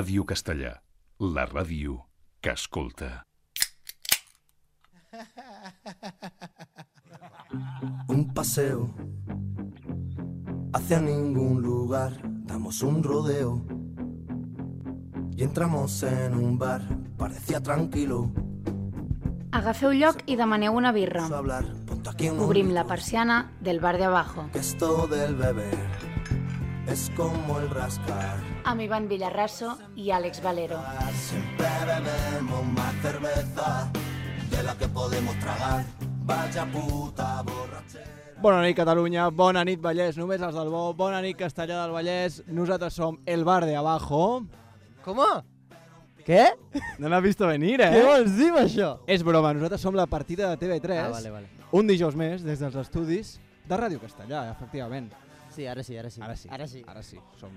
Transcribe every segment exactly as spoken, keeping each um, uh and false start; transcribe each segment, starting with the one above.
Ràdio Castellà, la ràdio que escolta. Un paseo hacia ningún lugar, damos un rodeo y entramos en un bar, parecía tranquilo. Agafeu lloc i demaneu una birra. Hablar, Obrim la persiana del bar de abajo. Que esto del beber es como el rascar. Amb Ivan Villarraso i Àlex Valero. Siempre bebemos más cerveza de la que podemos tragar. Vaya puta borrachera. Bona nit, Catalunya. Bona nit, Vallès. Només els del bo. Bona nit, Castellà del Vallès. Nosaltres som el bar de abajo. ¿Cómo? ¿Qué? No l'has visto venir, eh? Què vols dir amb això? És broma, nosaltres som la partida de T V tres. Ah, vale, vale. Un dijous més des dels estudis de Ràdio Castellà, efectivament. Sí, ara sí, ara sí. Ara sí. Ara sí. Ara sí. Som...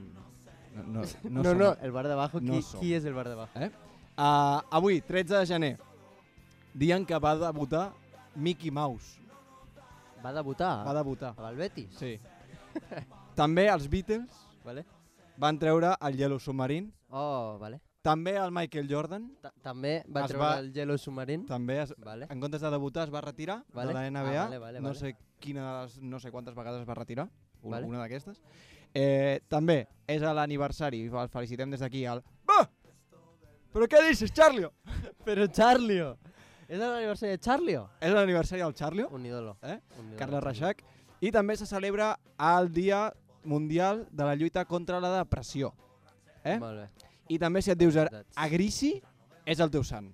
No, no, no, No, som... no, el bar de abajo, no qui, som. qui és el bar de abajo? Eh? Uh, avui, tretze de gener, dia en què va debutar Mickey Mouse. Va debutar? Va debutar. Amb el Betis? Sí. També els Beatles Vale. van treure el Yellow Submarine. Oh, vale. També el Michael Jordan. Ta- També va Es treure va- el Yellow Submarine. També es, Vale. en comptes de debutar es va retirar Vale. de la N B A. Ah, vale, vale, no, vale. sé quines, no sé quantes vegades es va retirar, una, Vale. una d'aquestes. Eh, també és l'aniversari, el felicitem des d'aquí al... Va! Però què dices, Charlio? Però Charlio! És l'aniversari de Charlio? És l'aniversari del Charlio, Un ídolo. eh? Un ídolo. Carles Reixac. I també se celebra el Dia Mundial de la Lluita contra la Depressió. Eh? Molt bé. I també si et dius Veritats. Agrici, és el teu sant.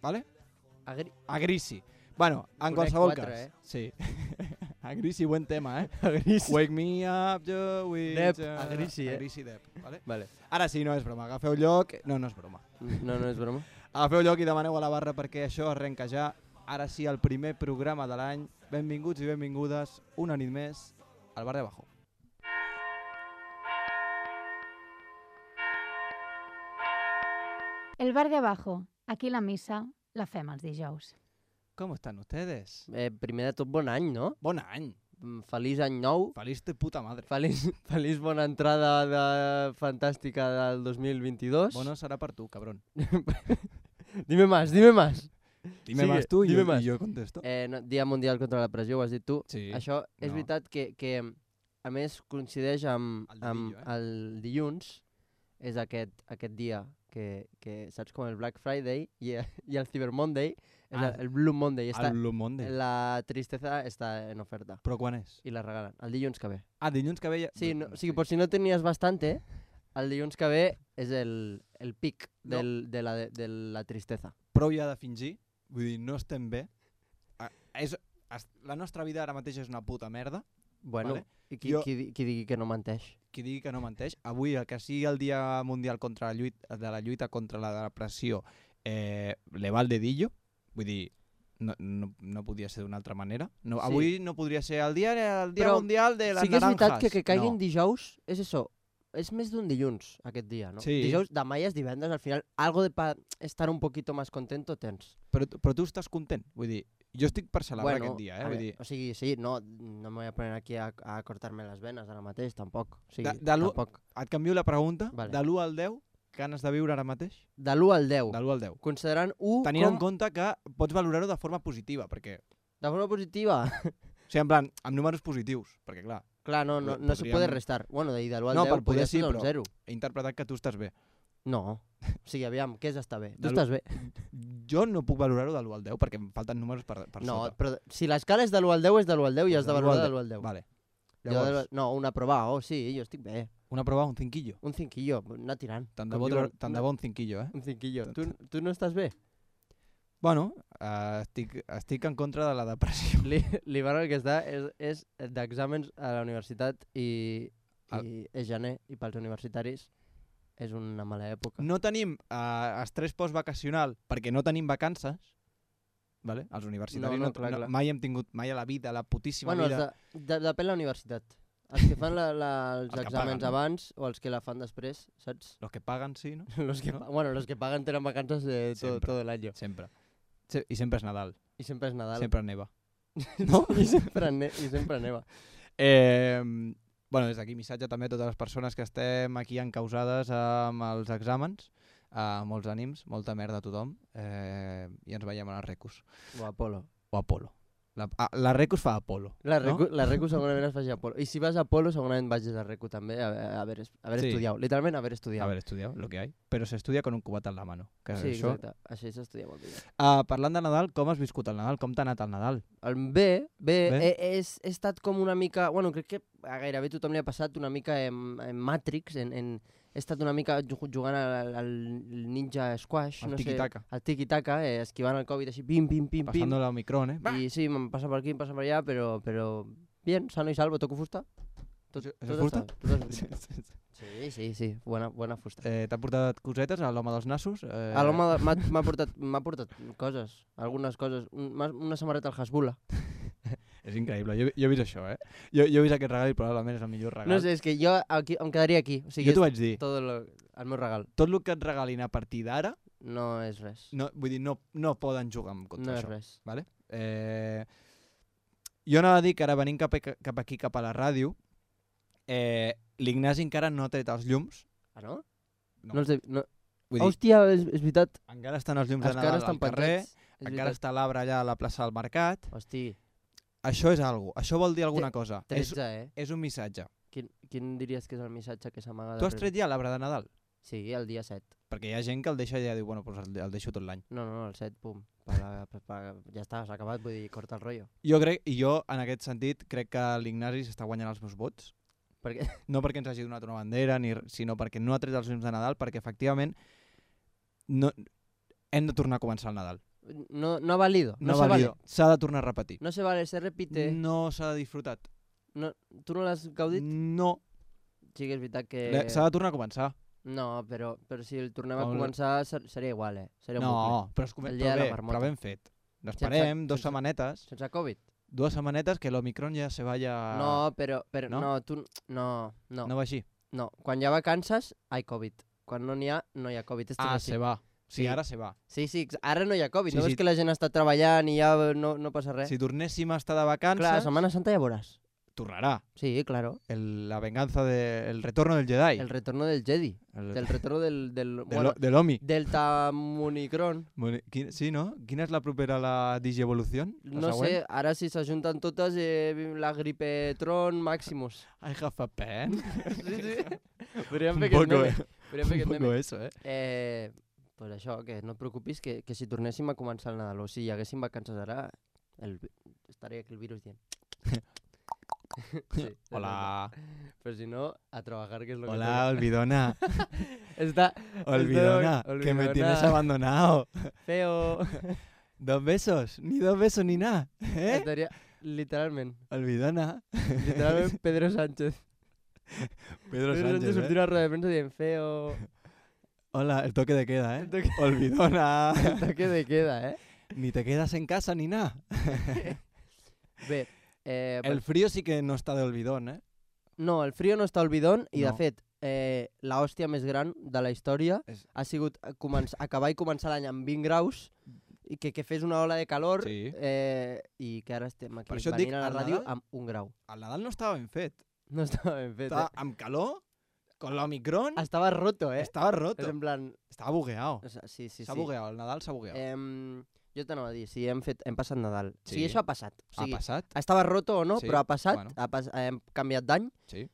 Vale? Agri... Agrici. Bueno, en Conec qualsevol quatre, cas. eh? Sí. Agrici, buen tema, eh? Agrici. Wake me up, Joe, with Depp, uh, Agrici, eh? Agrici Depp, vale? Vale. Ara sí, no és broma, agafeu lloc... No, no és broma. No, no és broma. Agafeu lloc i demaneu a la barra perquè això arrenca ja. Ara sí, el primer programa de l'any. Benvinguts i benvingudes una nit més al bar de abajo. El bar de abajo. Aquí la missa la fem els dijous. Com estan ustedes? Eh, primer de tot, bon any, no? Bon any. Mm, Feliç any nou. Feliç de puta madre. Feliç, feliç bona entrada de fantàstica del dos mil vint-i-dos. Bueno, serà per tu, cabrón. Dime más, dime más. Dime Sigue, más tu i dime jo, más. i jo contesto. Eh, no, Dia Mundial contra la Depressió, ho has dit tu. Sí. Això és No. veritat que, que, a més, coincideix amb, El amb dedillo, eh? el dilluns, és aquest, aquest dia que, que, saps, com el Black Friday i, i el Cyber Monday, és Ah, el, el Blue Monday. Està, El Blue Monday. la tristesa està en oferta Però quan és? i la regalen. El dilluns que ve. Ah, dilluns que ve ja... Sí, no, o sigui, per si no tenies bastante, el dilluns que ve és el, el pic del, de, la, de la tristesa. Prou ja de fingir, vull dir, no estem bé. Ah, és, es, la nostra vida ara mateix és una puta merda. Bueno, Vale. i qui, Jo- qui, di- qui digui que no menteix? Qui digui que no menteix, avui, el que sigui el Dia Mundial contra la lluita, de la lluita contra la depressió, eh, le va el dedillo, vull dir, no, no, no podia ser d'una altra manera. No, Sí. Avui no podria ser el Dia, el dia Però Mundial de les Sí que és veritat naranjas. que que caigui en no. dijous és això, és més d'un dilluns aquest dia, no? Sí. Dijous, demà ja és divendres, al final algo de pa estar un poquito más contento tens. Però, però tu estàs content, vull dir, jo estic per celebrar aquest dia, eh? a Vull ver, dir, o sigui, sí, no, no me voy a poner aquí a, a cortar-me les venes ara mateix, tampoc. O sigui, De- de l'u- tampoc. et canvio la pregunta, Vale. de l'u al deu, ganes de viure ara mateix? De l'u al deu, De l'u al deu. considerant u Tenint com... en compte que pots valorar-ho de forma positiva, perquè... De forma positiva. O sigui, en plan, amb números positius, perquè clar, Clar, no, no, no se Podríem- puede restar. Bueno, de, de l'u al No, deu per poder podria sí, ser un però- zero. he interpretat que tu estàs bé. No. O sigui, aviam, què és estar bé? Tu De l'u- estàs bé? Jo no puc valorar-ho de l'u al deu perquè em falten números per, per No, sota. però si l'escala és de l'u al deu, és de l'u al deu i has de De l'u valorar al de deu. l'u al deu. Vale. Jo Llavors, de- no, una prova, oh, sí, jo estic bé. una prova, un cinquillo. Un cinquillo, anar tirant. Tant de Com bo, diuen, tant de una- bo un cinquillo, eh? Un cinquillo. Tant- Tu, tu no estàs bé? Bueno, uh, estic, estic en contra de la depressió. Li- L'Ivan el que està és, és d'exàmens a la universitat i, El- i és gener i pels universitaris és una mala època. No tenim uh, estrès postvacacional perquè no tenim vacances, vale? Els universitaris No, no, no, clar, no, clar. mai hem tingut, mai a la vida, a la putíssima Bueno, els vida... de, de, depèn la universitat. Els que fan la, la, els Els que exàmens paguen. abans o els que la fan després, saps? Los que pagan, sí, no? Los que, No? pa- bueno, los que pagan tenen vacances de todo, Sempre. todo el año. Sempre. Se I sempre és Nadal. I sempre és Nadal. Sempre neva. no? I sempre, ne I sempre neva. Eh, bueno, des d'aquí missatge també a totes les persones que estem aquí encausades amb els exàmens, uh, molts ànims, molta merda a tothom, eh, i ens veiem a les Recus. O Apolo. O Apolo. La, ah, la Recus fa Apolo, La Recu, no? la Recu segurament es faci a Apolo. I si vas a Apolo segurament vagis a Recu també, a, a haver, a haver Sí. estudiat. Literalment haver estudiat. Haber estudiado lo que hay, pero se estudia con un cubat en la mano. Que Sí, això... exacte. Així s'estudia molt millor. Uh, parlant de Nadal, com has viscut el Nadal? Com t'ha anat el Nadal? El bé, bé, Bé. He, he, he estat com una mica... Bueno, crec que a gairebé tothom li ha passat una mica en, en Matrix, en, en, he estat una mica ju- jugant al, al Ninja Squash, El no tiki-taka. sé, al tiki-taka, eh, esquivant el Covid així, pim, pim, pim, pim. Pasando la Omicron, eh? Y sí, me pasa por aquí, me pasa por allá, pero, pero bien, sano y salvo, toco fusta. Tot, ¿Eso es tot fusta? està- tot està- Sí, sí, sí, buena, buena fusta. eh, T'ha portat cosetes a l'home dels nassos? Eh... A l'home de- m'ha m'ha portat, m'ha portat coses, algunes coses. Un, m'ha- una samarreta al Hasbula. És increïble, jo, jo he vist això, eh? Jo, jo he vist aquest regal i probablement és el millor regal. No sé, és que jo aquí, em quedaria aquí. O sigui, jo t'ho és vaig dir, tot el, el meu regal. tot el que et regalin a partir d'ara, No és res. no, vull dir, no, no poden jugar en contra No és això. res. Vale? Eh, jo anava a dir que ara venint cap, a, cap aquí, cap a la ràdio, eh, l'Ignasi encara no ha tret els llums. Ah, no? No. No els he, no. Vull dir, Hòstia, és, és veritat. encara estan els llums de Encara Nadal estan al carrer, penjats. És encara veritat. està l'arbre allà a la plaça del Mercat. Hosti, Això és algo, això vol dir alguna cosa. És, tretze, eh? és un missatge. Quin, quin diries que és el missatge que s'amaga Tu has darrere? tret ja l'arbre de Nadal? Sí, el dia set. Perquè hi ha gent que el deixa i ja diu, bueno, doncs el, el deixo tot l'any. No, no, no, el set, pum. Per la, per, per, ja està, s'ha acabat, vull dir, corta el rotllo. Jo crec, i jo en aquest sentit crec que l'Ignasi s'està guanyant els meus vots. Perquè No perquè ens hagi donat una bandera, ni, r- sinó perquè no ha tret els llums de Nadal, perquè efectivament no, hem de tornar a començar el Nadal. no, no ha valido, no, No, se valido. vale. S'ha de tornar a repetir. No se vale, se repite. No s'ha disfrutat. No, tu no l'has gaudit? No, Sí que és veritat que... Le- s'ha de tornar a començar. No, però, però si el tornem a Com el- començar ser, seria igual, eh? Seria un No, però, es El comen- dia però, de la bé, marmota. però ben fet. Esperem dos sense- setmanetes, bucle. Sense Covid? dues setmanetes que l'Omicron ja se vaya... No, però, però No? no? tu... No, no, No no. va així? Quan hi ha vacances, hi ha Covid. Quan no n'hi ha, no hi ha Covid. Esto Ah, es así. se va. Sí, Sí. ara se va. Sí, sí, ex- ara no hi ha Covid. Sí, no sí. veus que la gent està treballant i ja no, no passa res? Si tornéssim a estar de vacances, Clar, Setmana Santa ja veuràs. tornarà. Sí, claro. El, la venganza de, el retorno del Jedi. El retorno del Jedi. El- Del retorno del... del de bueno, lo- de l'Omi. del Tamunicron. Bueno, quin- sí, no? Quina és la propera a la digievolució? La No següent? sé, ara si s'ajunten totes, eh, la Gripetron Maximus. I have a pen. Sí, sí. Podríem Un fer aquest poco, meme. eh. Podríem fer Un aquest poco meme. eso, eh? Eh, pues això, que no et preocupis, que, que si tornéssim a començar el Nadal o si hi haguéssim vacances ara, el, vi- estaria aquí el virus dient. Sí, Hola. Pero si no, a trabajar, que es lo Hola, olvidona. que Está Olvidona, Estoy- que me tienes olvidona. abandonado. feo. Dos besos, ni dos besos ni nada. ¿Eh? Estaría, literalmente, Olvidona. literalmente Pedro Sánchez. Pedro Sánchez, sortir ¿eh? a rueda de prensa dient feo. Hola, el toque de queda, ¿eh? El toque- Olvidona. El toque de queda, eh? Ni te quedas en casa ni nada. Bé, eh, El frío sí que no está de olvidón, ¿eh? no, el frío no està olvidón i, No. de fet, eh, la hòstia més gran de la història És- ha sigut eh, començ- acabar i començar l'any amb vint graus i que, que fes una ola de calor Sí. eh, i que ara estem aquí Per això et venint dic, a la al ràdio Nadal- amb un grau. El Nadal no estava ben fet. No estava ben fet, Estava eh? amb calor, con l'Omicron, Estava roto, eh? estava roto. És en plan... Estava bugueado. o sea, sí, sí, S'ha sí. bugueado, el Nadal s'ha bugueado. Eh, jo t'anava a dir, si hem, fet, hem passat Nadal. Sí. Sí. Si això ha passat. O ha sigui, passat? estava roto o no, Sí, però ha passat, bueno. ha pas hem canviat d'any. Sí.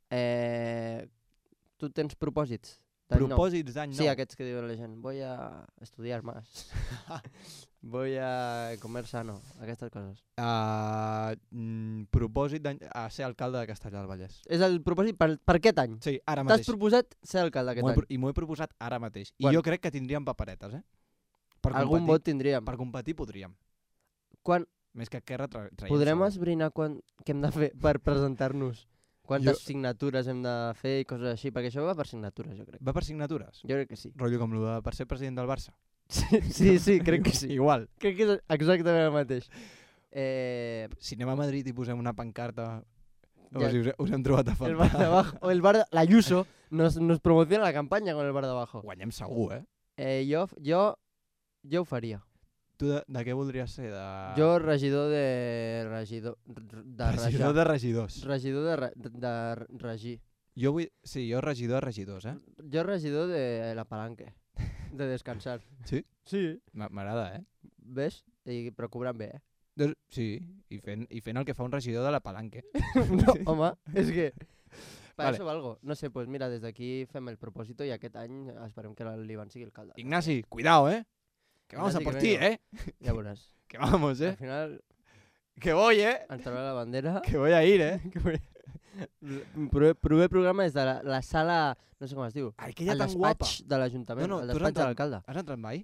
Eh, tu tens propòsits d'any nou? Propòsits d'any nou. Sí, aquests que diuen la gent. Voy a estudiar más. Voy a comer sano. Aquestes coses. Uh, mm, propòsit d'any... A ser alcalde de Castellar del Vallès. És el propòsit per, per aquest any. Sí, ara T'has mateix. proposat ser alcalde aquest M'ho he any. pro- I m'ho he proposat ara mateix. I Quan? jo crec que tindríem paperetes, eh? Per Algun competir, vot tindríem. Per competir podríem. Quan Més que Esquerra tra traiem podrem segur. esbrinar quan, què hem de fer per presentar-nos? Quantes Jo- signatures hem de fer i coses així? Perquè això va per signatures, jo crec. Va per signatures? Jo crec que sí. Rotllo com el de per ser president del Barça. Sí, sí, sí crec que sí. Igual. Crec que és exactament el mateix. Eh, Si anem a Madrid i posem una pancarta... A Ja- veure si us, us hem trobat a el bar de faltar. abajo, o el bar de, la Ayuso nos, nos promociona la campaña con el bar de abajo. Guanyem segur, eh? Eh, jo, jo, jo ho faria. Tu de, de què voldries ser? De... Jo, regidor de... Regidor... De regidor rajar. de regidors. Regidor de, re- de, de regir. Jo vull... Sí, jo regidor de regidors, eh? Jo regidor de la palanque. De descansar. Sí? Sí. M'a- M'agrada, eh? Ves? I, però cobrant bé, eh? Doncs, sí, i fent, i fent el que fa un regidor de la palanque. No, home, és que... Per Vale. això valgo. No sé, pues mira, des d'aquí fem el propòsito i aquest any esperem que l'Ivan sigui alcalde. Ignasi, cuidado, eh? Que vamos Ignasi, a por que ti, venga. eh? Ja veuràs. Que vamos, Al eh? final Que voy, eh? ens traurà la bandera. Que voy a ir, eh? Proper, proper programa és de la, la sala... No sé com es diu. Aquella El tan guapa. despatx de l'Ajuntament. No, no, el tu has despatx de entrat- l'alcalde. Has entrat mai?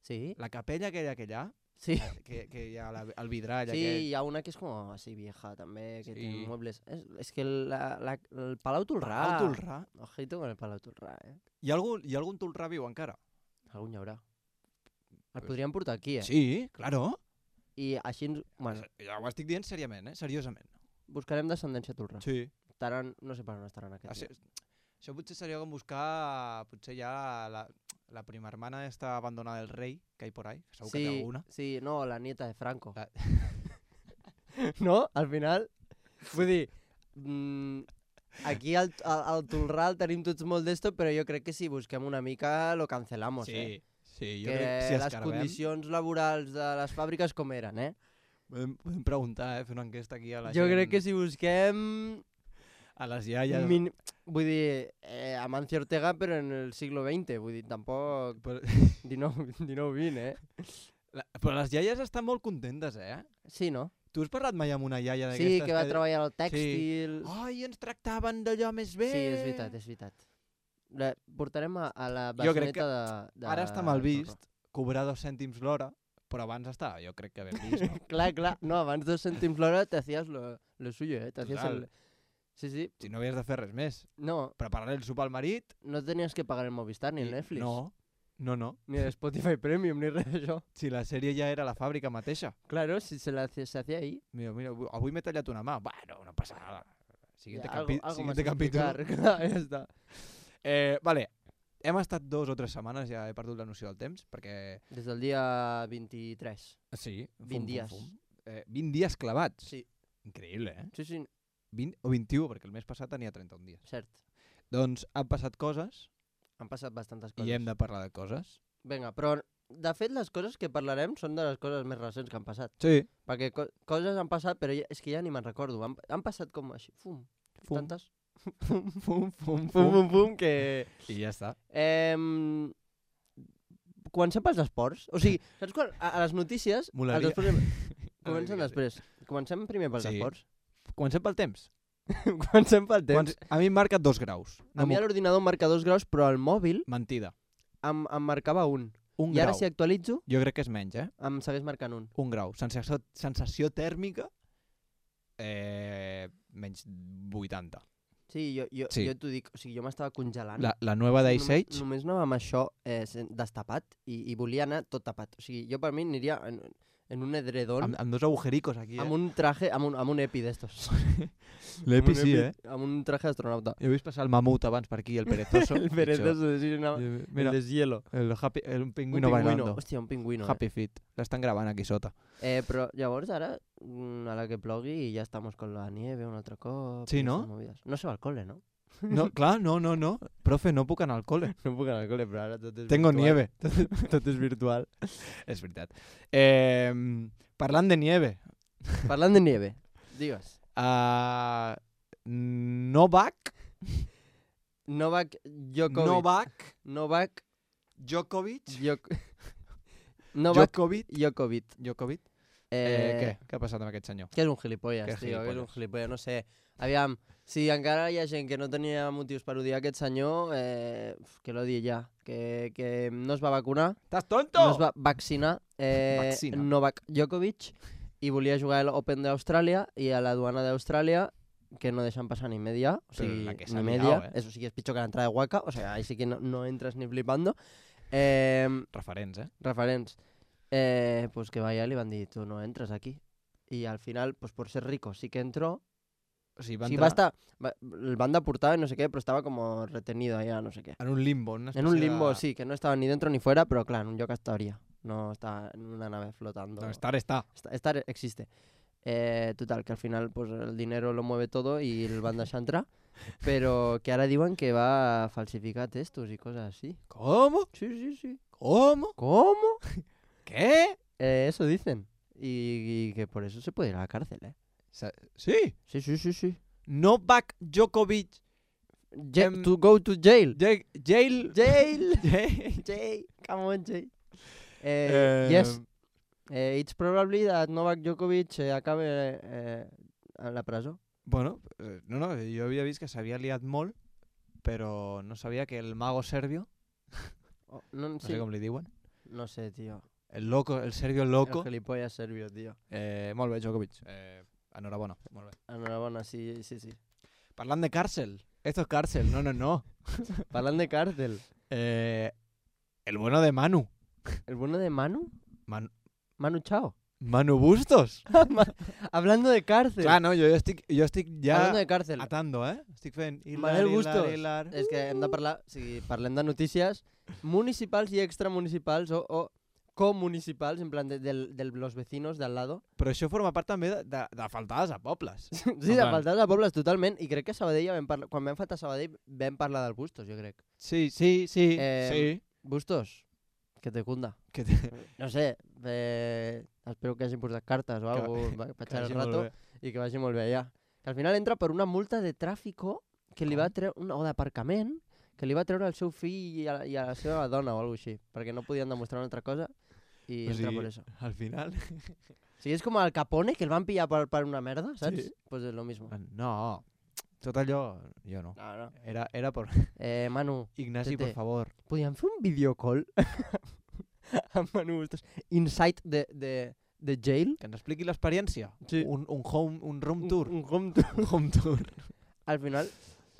Sí? La capella aquella que hi ha, Sí. que, que hi ha la, el vidrall Sí, aquest. hi ha una que és com así vieja també, que Sí. tiene muebles. És, és que la, la, el Palau Tolrà... Palau Tolrà. Ojito con el Palau Tolrà, eh? Hi ha algun, hi ha algun Tolrà viu encara? Algun hi haurà. El Pues- podríem portar aquí, eh? Sí, claro. I així, ens- bueno, Ja ho estic dient seriament, eh? Seriosament. buscarem descendència Tolrà. Sí. Estaran, no sé per on estaran aquests. Això, això potser seria com buscar, potser ja la, la prima hermana esta abandonada del rei, que hay por ahí, que segur que té Sí, alguna. sí, no, la nieta de Franco. La- No? Al final, vull dir, mm, aquí al, al, al Tolrà el tenim tots molt d'esto, però jo crec que si busquem una mica lo cancelamos, eh? sí, jo Que crec que si les escarbem, condicions laborals de les fàbriques com eren, eh? podem, podem preguntar, eh? Fer una enquesta aquí a la Jo gent, crec que si busquem... a les iaies. Min... Vull dir, eh, Amancio Ortega, però en el siglo veinte, vull dir, tampoc Però, dinou, dinou vint, eh? la, però les iaies estan molt contentes, eh? Sí, no? Tu has parlat mai amb una iaia Sí, d'aquestes? que va treballar al tèxtil... Ai, ens tractaven d'allò més bé. Sí, és veritat, és veritat. La, portarem a, a la Jo crec que besoneta de, de... Ara està mal Torra. vist cobrar dos cèntims l'hora, però abans estava, jo crec que ben vist, no? Clar, clar. No, abans dos cèntims l'hora te hacías lo, lo suyo, eh? Te hacías Total. el... Sí, sí. Si no havies de fer res més. No, Preparar el sopar al marit... no tenies que pagar el Movistar ni el i- Netflix. No, no, no. Ni el Spotify Premium, ni res d'això. Si la sèrie ja era la fàbrica mateixa. Claro, si se la hace- se hacía ahí. Mira, mira, avui- avui m'he tallat una mà. Bueno, no passa nada. Siguiente, algo, capi algo siguiente más capítol. explicar. Clar, ja està. Eh, vale, hem estat dos o tres setmanes, ja he perdut la noció del temps, perquè... Des del dia vint-i-tres. Sí, fum, vint fum, dies. fum. Eh, vint dies clavats. Sí. Increïble, eh? Sí, sí, vint o vint-i-u, perquè el mes passat tenia trenta-un dies. cert. Doncs han passat coses Han passat bastantes coses. i hem de parlar de coses. Vinga, però de fet les coses que parlarem són de les coses més recents que han passat. Sí. Perquè co coses han passat, però ja, és que ja ni me'n recordo. Han, han passat com així, fum, Fum. tantes. Fum, fum, fum, Fum, fum, fum, que... I ja està. Eh, comencem pels esports. O sigui, saps quan a, a les notícies... Molaria. Els esports... Molaria Comencem que sí. després. Comencem primer pels Sí. esports. Comencem pel temps. Comencem pel temps. Quants... A mi em marca dos graus. A mi a l'ordinador em marca dos graus, però al mòbil Mentida. em, em marcava un. Un I ara grau. si actualitzo, Jo crec que és menys, eh? em segueix marcant un. Un grau. Sensació, sensació tèrmica, eh, menys vuitanta. Sí, jo, jo, Sí. jo t'ho dic, o sigui, jo m'estava congelant. La, la nova d'Ice només, Age, només anava amb això eh, sen- destapat i, i volia anar tot tapat. O sigui, jo per mi aniria en, en un edredon amb, amb dos agujericos aquí, eh? amb un traje, amb un, amb un epi d'estos. L'Epi Amb un sí, epi- eh? Amb un traje d'astronauta. He vist passar el mamut abans per aquí, el perezoso. El perezoso, sí, no, Això. el Mira, deshielo. el, happy, el un Un pingüino bailando. Hòstia, un pingüino. Happy Feet. L'estan gravant aquí sota. Eh. Eh, però llavors ara, mm, a la que plogui i ja estamos con la nieve un altre cop. Sí, i no? esas movides. No se va al cole, no? No, clar, no, no, no. Profe, no puc anar al col·le. No puc anar al cole, però ara tot és Tengo virtual. nieve. Tot, tot és virtual. És veritat. Eh, parlant de nieve. Parlant de nieve, digues. Uh, Novak. Novak Djokovic. Novak Novak Djokovic. Djok... Novak Djokovic. Djokovic. Djokovic. Eh, Eh, què? Què ha passat amb aquest senyor? Que és un gilipolles, Que tio, que és un gilipolles. gilipolles, no sé. Aviam, si encara hi ha gent que no tenia motius per odiar aquest senyor, eh, que l'odi ja. Que, que no es va vacunar, Estàs tonto? no es va vaccinar, eh, Vaccina. Novak Djokovic, i volia jugar a l'Open d'Austràlia, i a la duana d'Austràlia, que no deixen passar ni media, o Però sigui, la que s'ha ni liado, media, eh? eso sí que és pitjor que l'entrada de Waka, o sea, ahí sí que no, no entres ni flipando. Eh, Referents, eh? referents. Eh, pues que vaya, li van dir, tu no entres aquí. I al final, pues por ser rico, sí que entró. O sigui, va Sí, entrar va estar, va, el van deportar y no sé qué, pero estaba como retenido allá, no sé qué. en un limbo. Una En un espècie limbo, de... sí, que no estaba ni dentro ni fuera, pero claro, en un lloc estaria. no está en una nave flotando. No, estar está. Está- Estar existe. Eh, total, que al final pues, el dinero lo mueve todo y el van deixar entrar, pero que ahora digan que va a falsificar textos y cosas así. ¿Cómo? Sí, sí, sí. ¿Cómo? ¿Cómo? ¿Qué? Eh, eso dicen. Y, y que por eso se puede ir a la cárcel, ¿eh? Sa- Sí. Sí, sí, sí, sí. Novak Djokovic. Ja- Em, to go to jail. Ja- Jail. Jail. Jail. Jay, come on, Jay. Eh, yes, eh, it's probably that Novak Djokovic eh, acabe eh, a la presó. Bueno, eh, no, no, jo havia vist que s'havia liat molt, però no sabia que el mago serbio, Oh, no, no sí. sé com li diuen, No sé, tío. el loco, el serbio loco, El gilipollas serbio, tío. eh, molt bé, Djokovic, eh, enhorabona, molt bé. Enhorabuena, sí, sí, sí. Parlant de càrcel, esto es càrcel, no, no, no. Hablando de cárcel. Eh, el bueno de Manu, ¿El bueno de Manu? Man- Manu Chao. Manu Bustos. Hablando de cárcel. Clar, no, jo estic, jo estic ja Hablando de cárcel. atando, eh? Estic fent hilar, Manel hilar, Bustos. hilar. És que hem de parlar, o sigui, parlem de notícies municipals i extramunicipals o, o comunicipals, en plan de, del, de los vecinos de al lado. Però això forma part també de, de, de faltades a pobles. Sí, En de plan- faltar de pobles totalment. I crec que a Sabadell, ja vam parlar, quan vam faltar a Sabadell, vam parlar del Bustos, jo crec. Sí, sí, sí, Eh, sí. Bustos, que te cunda. Que te... No sé, eh, espero que hagin portat cartes o Que alguna va- cosa per que echar el vagi molt rato bé. i que vagi molt bé allà. Que al final entra per una multa de tràfico que li va Com? treure, una, o d'aparcament, que li va treure al seu fill i a, i a la seva dona o alguna així, perquè no podien demostrar una altra cosa i O entra sigui, per eso. Al final... O sigui, és com el Capone, que el van pillar per, per una merda, saps? Sí. Pues és lo mismo. No, tot allò... Jo no. No, no. Era, era por... Eh, Manu, Ignasi, Tete. por favor. podíem fer un videocall amb Manu Bustos inside de, de, de jail? Que ens expliqui l'experiència. Sí. Un, un home, un room Un- tour. Un, home tour. Un home tour. Al final,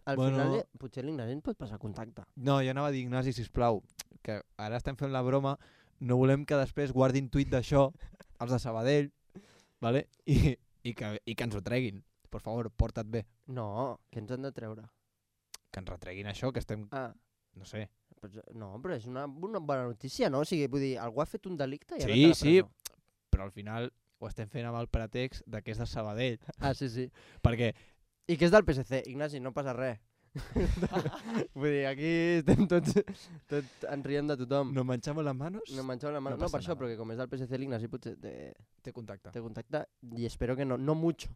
al Bueno. final eh, potser l'Ignasi ens pot passar contacte. No, jo anava a dir, Ignasi, sisplau, que ara estem fent la broma, no volem que després guardin tuit d'això els de Sabadell, vale? I, i, que, i que ens ho treguin. Per favor, porta't bé. No, que ens han de treure. Que ens retreguin això, que estem... Ah, No sé. però, no, però és una, una bona notícia, no? O sigui, vull dir, algú ha fet un delicte i ha Sí, anat a la sí. presó. Però al final ho estem fent amb el pretext de que és de Sabadell. Ah, sí, sí. Perquè I que és del P S C, Ignasi, no passa res. Vull dir, aquí estem tots, tots ens riem de tothom. nos manchamos las manos, No menjeu la mà. no No, passa per això, nada. perquè com és del P S C, l'Ignasi potser te, te contacta. te contacta i espero que no, no mucho.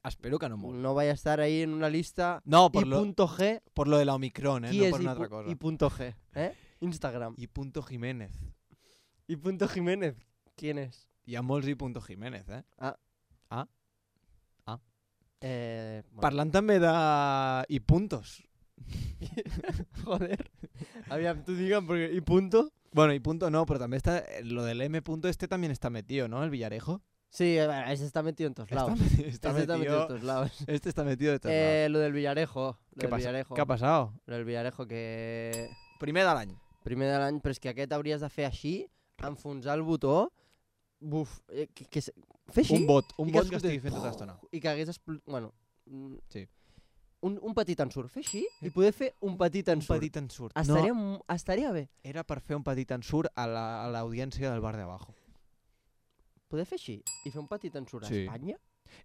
Espero que no molt. No vaya a estar ahí en una lista No, por y lo, punto G. por lo de la Omicron, eh, ¿Qui no és per una I, altra pu- cosa. I punto G? ¿Eh? Instagram. I punto Jiménez. ¿Y punto Jiménez? ¿Quién es? Hi ha molts i punto Jiménez, eh? Eh, bueno, Parlant també de... i puntos. Joder. Aviam, tú digan porque ¿y punto? Bueno, y punto no, pero también está... Lo del M punto este también está metido, ¿no? El Villarejo. Sí, eh, ese está metido en todos Está, lados. meti- está Ese está metido en metido... todos lados. Este está metido de todos Eh, lo del Villarejo. Lo ¿Qué del pasa? Villarejo. ¿Qué ha pasado? Lo del Villarejo, que... Primer de l'any. Primer de l'any, però és que aquest hauries de fer així, enfonsar el botó, buf, eh, que, que, se- fer així Un bot, un i que bot que escoltés estigui fent tota l'estona. i que hagués explotat... Bueno, mm, Sí. un, un petit ensurt, fer així i poder fer un petit Un ensurt. petit ensurt. Estaria, No, mu- estaria bé. era per fer un petit ensurt a la- a l'audiència del bar de abajo. Poder fer així i fer un petit ensurt Sí. a Espanya?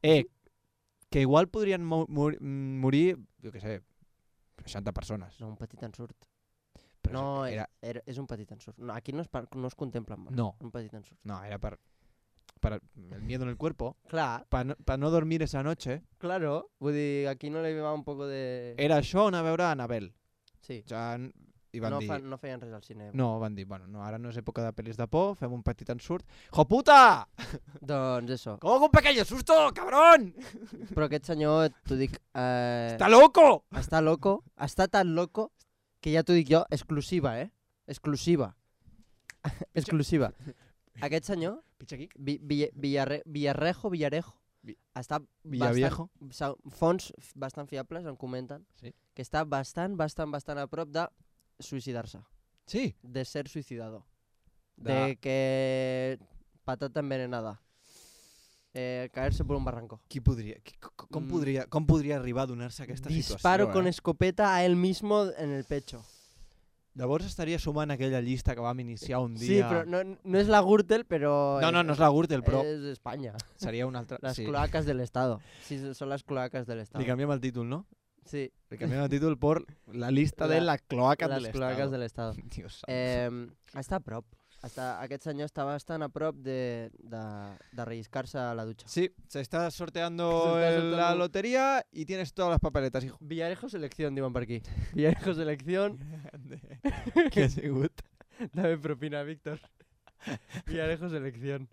Eh, que igual podrien mo mor morir, jo què sé, seixanta persones. No, un petit ensurt. Però No, era, era, és un petit ensurt. No, aquí no es, par- no es contempla amb No. un petit ensurt. no, era per, para el miedo en el cuerpo, Clar, para no, pa no dormir esa noche. claro. Vull dir, aquí no li va un poco de... Era això anar a veure Anabel. Sí, O sigui, i van no, dir... fa, no feien res al cine. No, van dir, bueno, no, ara no és època de pel·lis de por, fem un petit ensurt. ¡Hijo puta! Doncs eso. ¿Cómo que un pequeño susto, cabrón? Però aquest senyor, t'ho dic... Eh, ¡Está loco! Està loco, està tan loco que ja t'ho dic jo, exclusiva, eh? Exclusiva. exclusiva. Aquest senyor, Pitxa aquí. Vi, Vi, Villarre, Villarrejo, Villarejo, Vi- està Villaviejo. bastant, sa- fonts bastant fiables em comenten Sí. que està bastant, bastant, bastant a prop de suïcidar-se, Sí. de ser suïcidador, De- de que patata envenenada, eh, caerse por un barranco. Qui podria, qui, com, com, Mm. podria, com podria arribar a donar-se aquesta Disparo situació, con eh? escopeta a él mismo en el pecho. Llavors estaria sumant aquella llista que vam iniciar un dia... Sí, però no, no és la Gürtel, però... No, no, no és la Gürtel, però És Espanya. seria una altra... Las sí. cloacas del Estado. Sí, son las cloacas del Estado. Li canviem el títol, no? Sí, Le canviem el títol por la lista La- de la cloaca las del cloacas Estado. del Estado. Dios santo. Eh, està a prop. Està, aquest senyor està bastant a prop de, de, de relliscar-se a la dutxa. Sí, se está sorteando Se está el- la sorteando. lotería y tienes todas las papeletas, hijo. Villarejo selección, diuen per aquí. Villarejo selección. Què ha sigut? Dame propina, Víctor. Villarejo selección.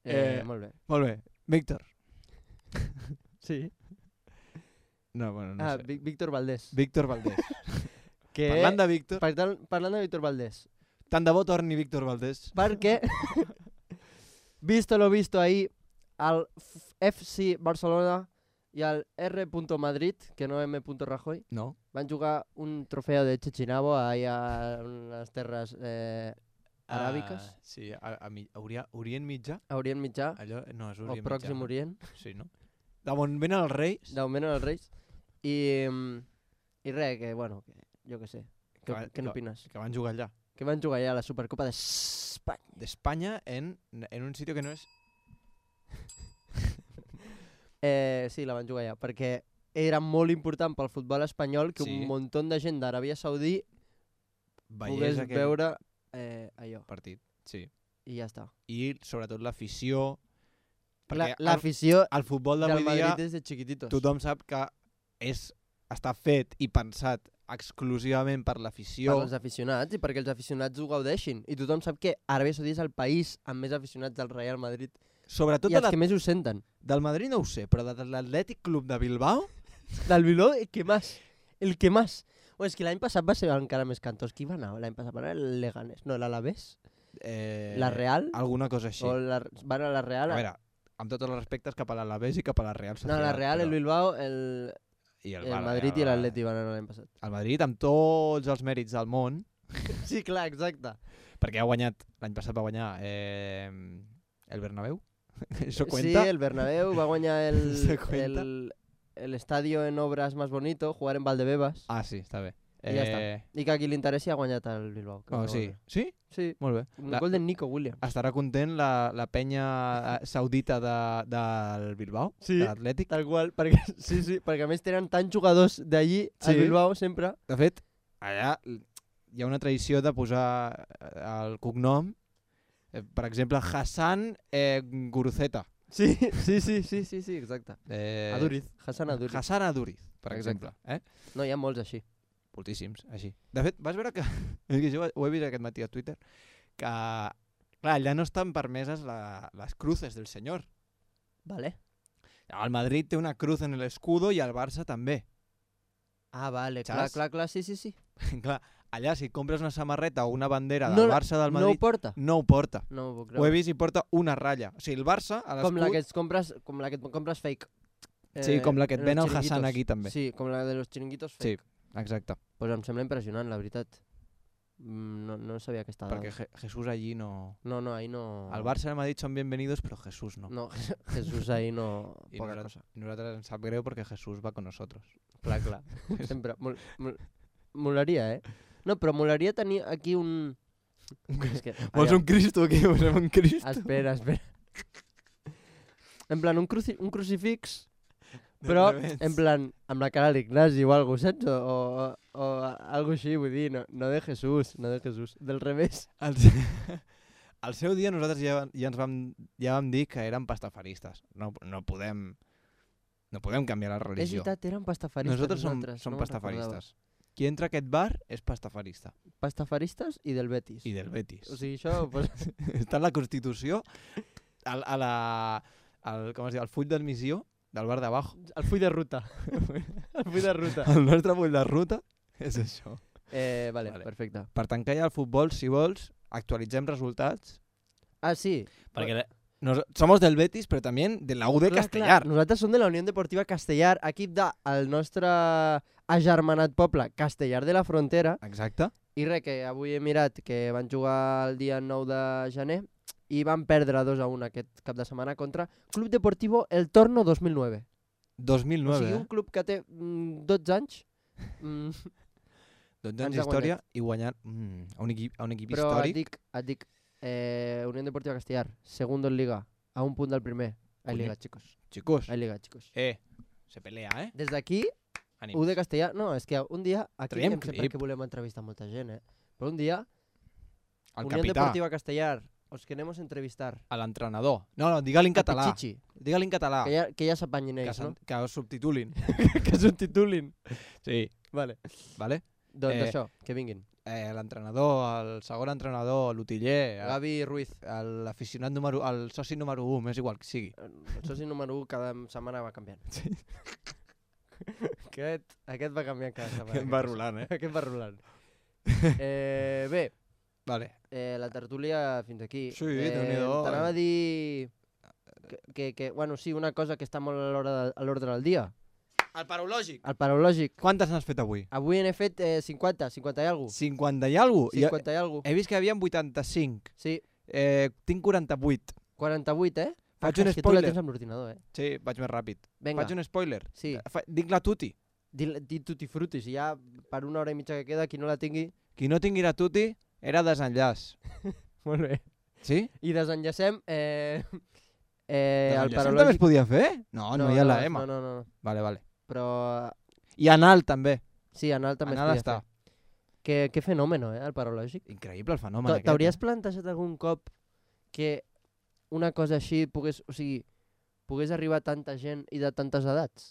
Eh, Eh, molt bé. Molt bé. Víctor. Sí. No, bueno, no ah, sé. Ví- Víctor Valdés. Víctor Valdés. Que, Parlant de Víctor, per tant, parlant de Víctor Valdés. tant de bo torni Víctor Valdés. Perquè, visto lo visto ahí, al F C Barcelona i al R. Madrid, que no M. Rajoy, No. van jugar un trofeu de Chechinabo ahí a les terres eh, aràbiques, Ah, sí, a, a, mi- a Orient, Orient Mitjà. a Orient Mitjà, Allò, no, és o Orient Pròxim Mitjà. Orient, Sí, no? D'on venen els reis, d'augment als Reis. I, mm, i res, que bueno, que, jo què sé. Que Què, va- què que- n'opines? que van jugar allà. Que van jugar ja a la Supercopa d'Espanya. D'Espanya en, en un sitio que no és... Eh, sí, la van jugar ja, perquè era molt important pel futbol espanyol que Sí. un munt de gent d'Aràbia Saudí Veiés pogués aquell veure eh, allò. partit. Sí. I ja està. I sobretot l'afició. La- Perquè el, L'afició el futbol del d'avui dia Madrid és de chiquititos. tothom sap que és, està fet i pensat exclusivament per Per l'afició. als aficionats i perquè els aficionats ho gaudeixin. I tothom sap que Aràbia Saudí és el país amb més aficionats del Real Madrid. Sobretot I de els la, que més ho senten. del Madrid no ho sé, però de l'Atlètic Club de Bilbao... Del Bilbao, el que més. El que més. O és que l'any passat va ser encara més cantós. Qui va anar l'any passat? Va anar el Leganés. No, l'Alavés? Eh, La Real? Alguna cosa així. O la, van a la Real? A veure, amb tots els respectes cap a l'Alavés i cap a la Real no, Sociedad. la Real, el però- Bilbao, el, i el, Bar- Madrid i el- l'Atleti van anar l'any passat. El Madrid amb tots els mèrits del món, Sí, clar, exacte. perquè ha guanyat, l'any passat va guanyar eh, el Bernabéu. Això Sí, cuenta? el Bernabéu va guanyar el, ¿Se cuenta? el, el estadio en obras más bonito, jugar en Valdebebas. Ah, sí, està bé. I ja està. I que a qui li interessi ha guanyat el Bilbao. que Oh, va sí. guanyar. Sí? Sí, Molt bé. un La- gol de Nico Williams. Estarà content la, la penya eh, saudita de, del Bilbao, Sí. de l'Atlètic. Tal qual, perquè, sí, sí, perquè a més tenen tants jugadors d'allí, al Sí. Bilbao, sempre. De fet, allà hi ha una tradició de posar eh, el cognom, eh, per exemple, Hassan eh, Guruceta. Sí, sí, sí, sí, sí, sí, exacte. Eh, Aduriz, Hassan Aduriz. Hassan Aduriz, per Exacte. exemple. Eh? No, hi ha molts així. Moltíssims, així. De fet, vas veure que... és que jo ho he vist aquest matí a Twitter, que, clar, allà no estan permeses la, les cruces del senyor. Vale. El Madrid té una cruz en l'escudo i el Barça també. Ah, vale, clar, Saps? clar, clar, sí, sí, sí. Clar, allà si compres una samarreta o una bandera No del la- Barça del No ho Madrid, porta? no ho porta. No ho puc Ho he creure. vist i porta una ratlla. O sigui, el Barça, a Com la que l'escut... et compres, com la que et compres fake. Sí, com la que et en ven els el Hassan chiringuitos. aquí també. Sí, com la de los chiringuitos Sí, fake. exacte. Pues em sembla impressionant, la veritat. Mm, No, no sabia aquesta dada. Perquè Je Jesús allí no... No, no, ahí no... El Barça i el Madrid són bienvenidos, però Jesús no. No, Jesús ahí no... I Poca nosaltres, cosa. i nosaltres ens sap greu perquè Jesús va con nosotros. Clar, clar. Sempre. Mol, mol, molaria, eh? No, però molaria tenir aquí un... És que, Vols aviam, un Cristo aquí? Posem un Cristo. Espera, espera. En plan, un, cruci un crucifix, però en plan, amb la cara d'Ignasi o alguna cosa, saps? O, o, o algo així, vull dir, no, no de Jesús, no de Jesús, del revés. Al, al seu dia nosaltres ja, ja ens vam, ja vam dir que érem pastafaristes. No, no podem no podem canviar la És religió. veritat, eren pastafaristes Nosaltres som, nosaltres. som no me'n recordava. pastafaristes. Qui entra a aquest bar és pastafarista. Pastafaristes i del Betis. I del Betis. O sigui, això... Pues, Està en la Constitució, al, a la, al, com es diu, al full d'admissió del bar d'abajo. el full de ruta. el full de ruta. El nostre full de ruta és això. Eh, vale, Vale. vale, perfecte. Per tancar ja el futbol, si vols, actualitzem resultats. Ah, sí. Perquè nos, somos del Betis, però també de la U de Clar, Castellar. clar, nosaltres som de la Unió Deportiva Castellar, equip del nostre agermanat poble Castellar de la Frontera. Exacte. I res, que avui he mirat que van jugar el dia nou de gener i van perdre dos a un aquest cap de setmana contra Club Deportivo El Torno dos mil nueve. dos mil O nueve, sigui, eh? un club que té mm, dotze anys. Mm, dotze anys Ens ha d'història i guanyant mm, a, un equip, a un equip Però et històric. dic, et dic eh, Unión Deportiva Castellar, segundo en Liga, a un punt del primer. Hay Coño. Liga, chicos. Chicos, Hay Liga, chicos. eh, se pelea, eh? Des d'aquí, Ànims. U de Castellar... No, és que un dia... Aquí Traiem em sé per clip. què volem entrevistar molta gent, eh? Però un dia, El Unión capità, Deportiva Castellar, os queremos entrevistar. a l'entrenador. No, no, digue-li en A català. Pichichi, Digue-li en català. que ja, que ja s'apanyin Que, ells, sen- no? que ho subtitulin. que subtitulin. Sí, Vale. vale? Doncs Eh, això, que vinguin. Eh, l'entrenador, el segon entrenador, l'utiller, el- Gavi Ruiz, l'aficionat número... el soci número un, m'és igual que sigui. el soci número u cada setmana va canviant. Sí. aquest, aquest va canviant cada setmana. Aquest va rolant, eh? Aquest va rolant. eh, bé, Vale. eh, la tertúlia fins aquí. Sí, eh, Déu-n'hi-do. T'anava a dir... Que, que, que, bueno, sí, una cosa que està molt a l'hora de- a l'ordre del dia. El paraulògic. El paraulògic. Quantes n'has fet avui? Avui n'he fet eh, cinquanta, cinquanta i alguna cosa. cinquanta i alguna cosa? cinquanta i alguna cosa. He vist que hi havia vuitanta-cinc. Sí, Eh, tinc quaranta-vuit. quaranta-vuit, eh? Faig Ah, un és que tu la spoiler. tens amb l'ordinador, eh? Sí, vaig més ràpid. Vinga, Faig un spoiler. sí. Fa- Dic la tuti. Di, di tutti frutti, si ja per una hora i mitja que queda, qui no la tingui... Qui no tingui la tuti era desenllaç. Molt bé. Sí? I desenllacem eh, eh, el Desenllaç també es paraulògic... podia fer? No, no, hi ha la M. No, no, no, no. Vale, vale. Però I anal també. sí, anal també Anal es podia està. fer. Que, que fenòmeno, eh, el paraulògic. Increïble el fenomen T'ha- aquest. T'hauries eh? plantejat algun cop que una cosa així pogués, o sigui, pogués arribar a tanta gent i de tantes edats?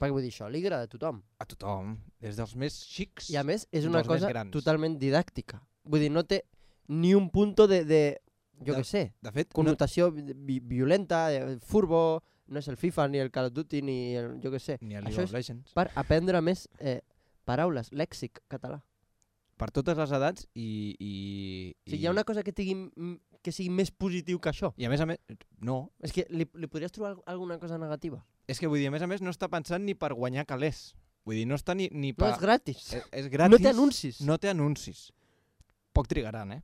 Perquè vull dir, això li agrada a tothom. A tothom. Des dels més xics. I a més, és Fins una als més cosa grans. totalment didàctica. Vull dir, no té ni un punto de, de jo De- què sé, De fet, no, connotació vi violenta, eh, furbo, no és el FIFA, ni el Call of Duty, ni el, jo què sé. ni el Això League és of Legends. per aprendre més eh, paraules, lèxic català. Per totes les edats i... i, O sigui, hi ha una cosa que, tingui, m- que sigui més positiu que això. I a més a més... No. És que li, li podries trobar al- alguna cosa negativa? És que vull dir, a més a més, no està pensant ni per guanyar calés. Vull dir, no està ni, ni No, per... és gratis. és, és gratis. No té anuncis. No té anuncis. Poc trigaran, eh?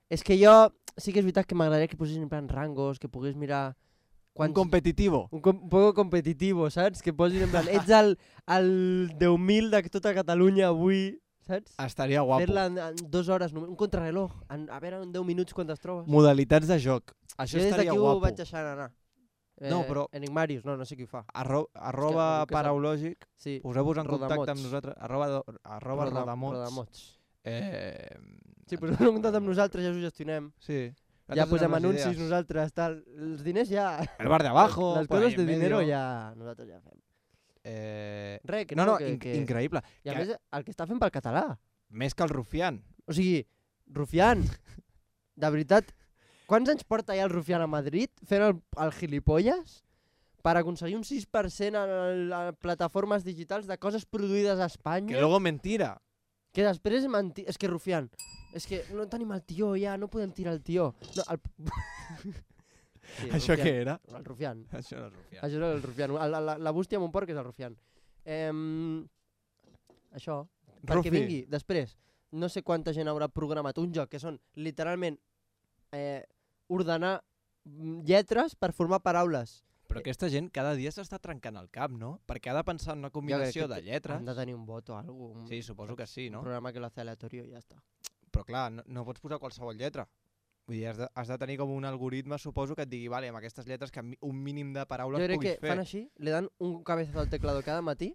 És que jo sí que és veritat que m'agradaria que posessin en plan rangos, que pogués mirar... Un competitivo. Un, com, un poco competitivo, saps? Que posin en plan, ets el, el deu mil de tota Catalunya avui, saps? Estaria guapo. Fer-la en, en dues hores, només, un contrarreloj, en, a veure en deu minuts quan es trobes. Modalitats de joc. Això jo des estaria d'aquí ho guapo. vaig deixant anar. Eh, No, però- Enigmarius, no, no sé qui ho fa. Arro, arroba algú que sap. paraulògic. Sí, Poseu-vos en contacte Rodamots. amb nosaltres. Arroba, do, arroba Roda- rodamots. Rodamots. Eh, Sí, poseu en contacte amb nosaltres, ja us ho gestionem. sí. Ja Nosaltres posem donem les anuncis idees. nosaltres, tal. Els diners ja... El bar de abajo. Les por coses ahí de en dinero medio. ja... Nosaltres ja fem. Eh, Res, que no, no, no, que, in que... increïble. I a Que- més, el que està fent pel català. Més que el Rufián. O sigui, Rufián, de veritat, quants anys porta ja el Rufián a Madrid fent el, el gilipolles per aconseguir un sis per cent a, a plataformes digitals de coses produïdes a Espanya? Que luego mentira. Que després és mentir... És que Rufián, és que no tenim el tió ja, no podem tirar el tió. No, el... sí, Això Rufián. què era? El Rufián. Això no és Rufián. Això és el Rufián. La, la, la bústia amb un porc és el Rufián. Eh, això. Perquè Rufi. vingui després, no sé quanta gent haurà programat un joc que són literalment eh, ordenar mm, lletres per formar paraules. Però aquesta gent cada dia s'està trencant el cap, no? Perquè ha de pensar en una combinació de lletres. Han de tenir un vot o alguna cosa. Sí, suposo que sí, no? Un programa que lo hace aleatorio i ja està. Però clar, no, no pots posar qualsevol lletra. Vull dir, has de, has de tenir com un algoritme, suposo, que et digui, vale, amb aquestes lletres que mi- un mínim de paraules Jo crec puguis que fer. fan així, li dan un cabezazo al teclado cada matí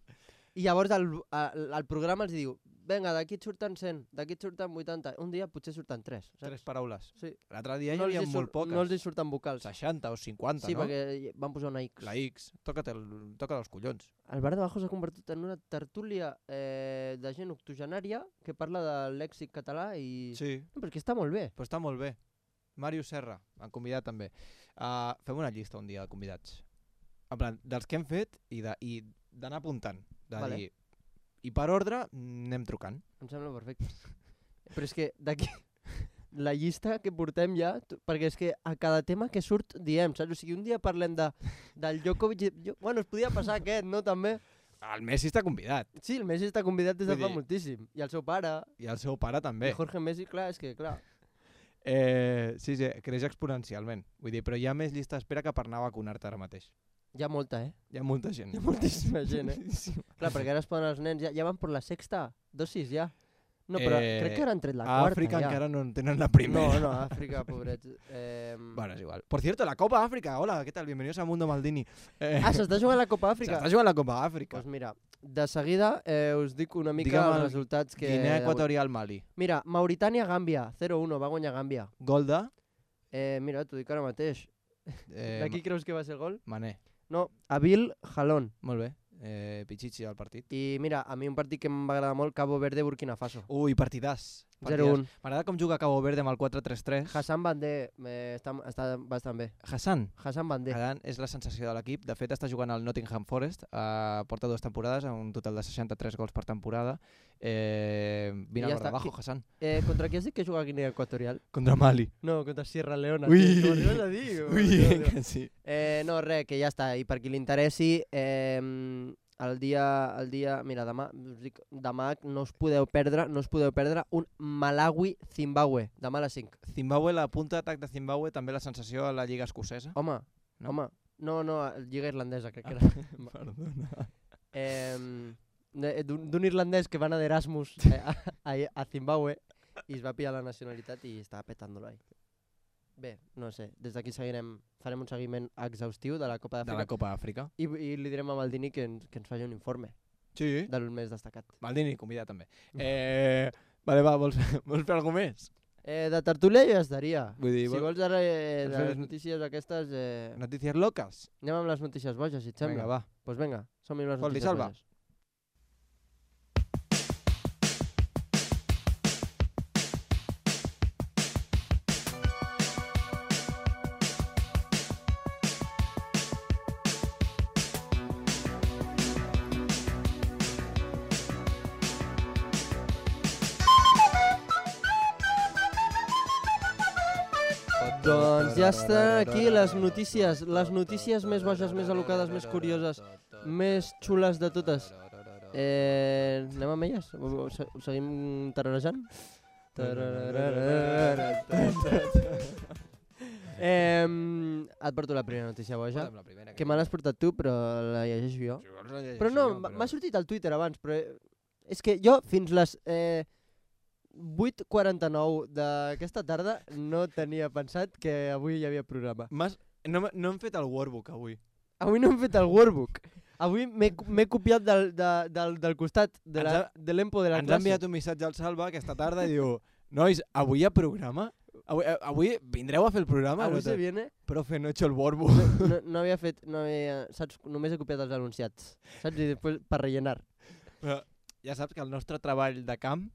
i llavors el, el, el programa els diu venga, d'aquí et surten cent, d'aquí et surten vuitanta, un dia potser surten tres. Saps? Tres paraules. Sí. L'altre dia No hi els havia hi molt sur- poques. No els hi surten vocals. seixanta o cinquanta, Sí, no? perquè van posar una X. La X, toca't el, toca dels collons. El bar de Bajo s'ha convertit en una tertúlia eh, de gent octogenària que parla del lèxic català i... Sí. No, però és que està molt bé. Però està molt bé. Màrius Serra, han convidat també. Uh, fem una llista un dia de convidats. En plan, dels que hem fet i de- i d'anar apuntant. De Vale. dir, i per ordre anem trucant. Em sembla perfecte. Però és que d'aquí... La llista que portem ja, tu- perquè és que a cada tema que surt diem, saps? O sigui, un dia parlem de, del Djokovic... i- Jo, bueno, es podia passar aquest, no, també? El Messi està convidat. Sí, el Messi està convidat des de Vull fa dir- moltíssim. I el seu pare, I el seu pare també. i Jorge Messi, clar, és que, clar... Eh, sí, sí, creix exponencialment. Vull dir, però hi ha més llista d'espera que per anar a vacunar-te ara mateix. Hi ha molta, eh? Hi ha molta gent. Hi ha moltíssima gent, eh? Sí. Clar, perquè ara es poden els nens, ja, ja van per la sexta dosis, ja. No, però Eh, crec que ara han tret la A quarta Àfrica ja. encara no en tenen la primera. No, no, Àfrica, pobrets. Eh... Bueno, es igual. Por cierto, la Copa África. Hola, ¿qué tal? Bienvenidos a Mundo Maldini. Eh, Ah, s'està jugant la Copa Àfrica? S'està jugant la Copa Àfrica. Doncs mira, de seguida eh, us dic una mica Digue'm els el resultats que... Guinea Equatorial Mali. Mira, Mauritània-Gàmbia, zero uno, va guanyar Gàmbia. Gol de... Eh, mira, t'ho dic ara mateix. Eh, De qui creus que va ser el gol? Mané. No, Abil Jalón. Molt bé. Eh, Pichichi al partit. I mira, a mi un partit que em va agradar molt, Cabo Verde-Burkina Faso. Ui, partidàs. zero un. M'agrada com juga Cabo Verde amb el quatre tres tres. Hassan Bandé eh, està, està bastant bé. Hassan. Hassan Bandé. Hassan és la sensació de l'equip. De fet, està jugant al Nottingham Forest. Eh, porta dues temporades, amb un total de seixanta-tres gols per temporada. Eh, vine I ja al està. Barrabajo, Qui- Hassan. Eh, contra qui has dit que juga a Guinea Equatorial? Contra Mali. No, contra Sierra Leona. Ui. tio, t'ho arribes a dir? Ui, Déu, Déu. que sí. Eh, no, res, que ja està. I per qui li interessi, eh, el dia, el dia, mira, demà, us dic, demà no us podeu perdre, no us podeu perdre un Malawi-Zimbabue, demà a les cinc. Zimbabue, la punta d'atac de Zimbabue, també la sensació a la Lliga Escocesa. Home, No? home, no, no, Lliga Irlandesa, crec que era. Perdona. eh, de- d'un d'un irlandès que va anar d'Erasmus eh, a, a, a Zimbabue i es va pillar la nacionalitat i estava petant-lo ahí. Bé, no sé, des d'aquí seguirem, farem un seguiment exhaustiu de la Copa De la d'Àfrica Copa Àfrica. i, i li direm a Maldini que ens, que ens faci un informe Sí. del més destacat. Maldini, convidat també. Eh, vale, va, vols, vols fer alguna més? Eh, de tertúlia ja estaria. Vull dir, Si vol- vols ara eh, vols de fer- les notícies aquestes, eh, Notícies locas? anem amb les notícies boges, si et sembla. Vinga, va. Doncs pues vinga, som-hi amb les Fot-li, notícies Salva. boges. Doncs ja estan aquí les notícies, les notícies més boges, més alocades, més curioses, més xules de totes. Eh, anem amb elles? Ho, ho, se- ho seguim tararejant? Eh, et porto la primera notícia boja, que me l'has portat tu, però la llegeixo jo. Però no, m'ha- m'ha sortit al Twitter abans, però eh, és que jo fins les eh, vuit quaranta-nou d'aquesta tarda no tenia pensat que avui hi havia programa. Mas, no, m- no hem fet el workbook avui. Avui no hem fet el workbook. Avui m'he m'he copiat del, de, del, del costat de la- Ens ha- de l'empo de la Ens ha classe. enviat un missatge al Salva aquesta tarda i diu nois, avui hi ha programa? Avui, eh, avui vindreu a fer el programa? Avui No se te- viene. Profe, no he hecho el workbook. No, no, no havia fet, no havia, saps, només he copiat els anunciats, saps? I després per rellenar. Però ja saps que el nostre treball de camp,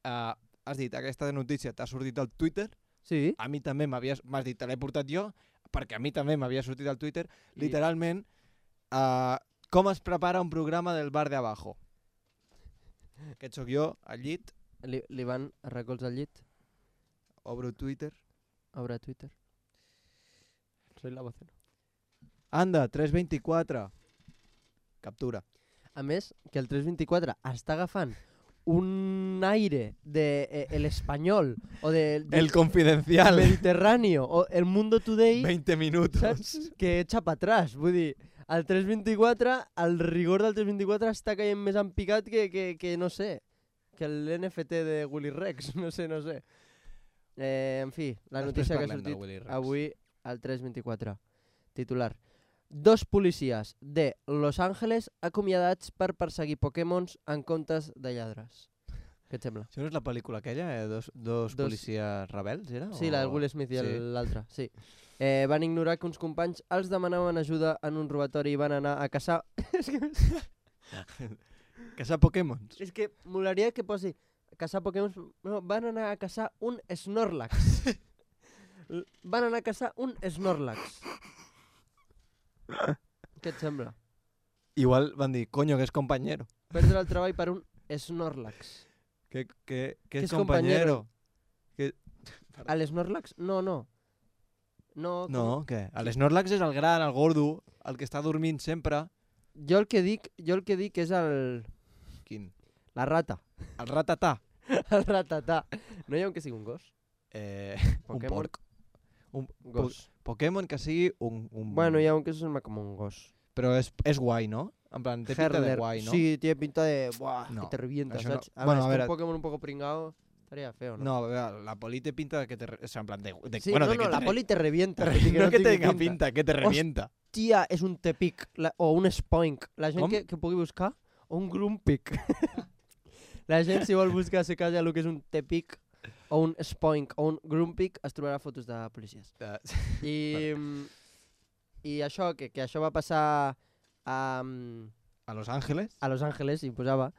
eh, has dit, aquesta notícia t'ha sortit al Twitter, Sí? a mi també m'havies, m'has dit, te l'he portat jo, perquè a mi també m'havia sortit al Twitter, I- literalment, eh, com es prepara un programa del bar de abajo. Aquest sóc jo, al llit, Li, li van a recolzar al llit, obro Twitter. obre Twitter. Soy la vocera. Anda, tres vint-i-quatre. Captura. A més, que el tres vint-i-quatre està agafant un aire de eh, el espanyol o de, de El confidencial. Mediterráneo o el Mundo Today, veinte minutos. saps? Que echa pa atrás. Vull dir, el tres vint-i-quatre, el rigor del tres vint-i-quatre està caient més en picat que, que, que no sé, que l'N F T de Willy Rex, no sé, no sé. Eh, en fi, la Després notícia que ha parlem del sortit Willy Rex. avui al tres vint-i-quatre. Titular. Dos policies de Los Angeles acomiadats per perseguir Pokémons en comptes de lladres. Què et sembla? Això no és la pel·lícula aquella, eh? Dos, dos, Dos- policies rebels, era? Sí, la del Will Smith i el- Sí. l'altre, sí. Eh, van ignorar que uns companys els demanaven ajuda en un robatori i van anar a caçar... és que, Caçar Pokémons. és que molaria que posi caçar Pokémons... No, van anar a caçar un Snorlax. L- van anar a caçar un Snorlax. Què et sembla? Igual van dir, coño, que és compañero. Perdre el treball per un Snorlax. Que, que, que Que és és compañero. compañero. A l'Snorlax? No, no. No, No, què? El Snorlax és el gran, el gordo, el que està dormint sempre. Jo el que dic, jo el que dic és el... Quin? La rata. El ratatà. El ratatà. No hi ha un que sigui un gos? Eh, un Pokémon. porc. Un Gos. Pokémon que sigui un... un... Bueno, hi ha un que sembla com un gos. Però és, és guai, no? En plan, té pinta de Herler. guai, ¿no? Sí, tiene pinta de... Buah, No, que te revienta, això no. ¿sabes? A Bueno, ver, a es que ver, un Pokémon un poco pringado estaría feo, ¿no? No, a veure, la poli té pinta de que te... re- O sea, en plan, de, de, Sí, bueno, no, de no, que la te, poli te revienta. te tot i re- no que tingui tenga pinta, que te revienta. Tia, és un Tepic la, o un Spoink. La gent Com? que, que pugui buscar, o un Grumpic. La gent, si vol buscar a ser casa el que és un Tepic o un Spoink o un Grumpic, es trobarà fotos de policies. Eh, I, mm, i això, que, que això va passar a, mm, A Los Ángeles? a Los Angeles, hi posava,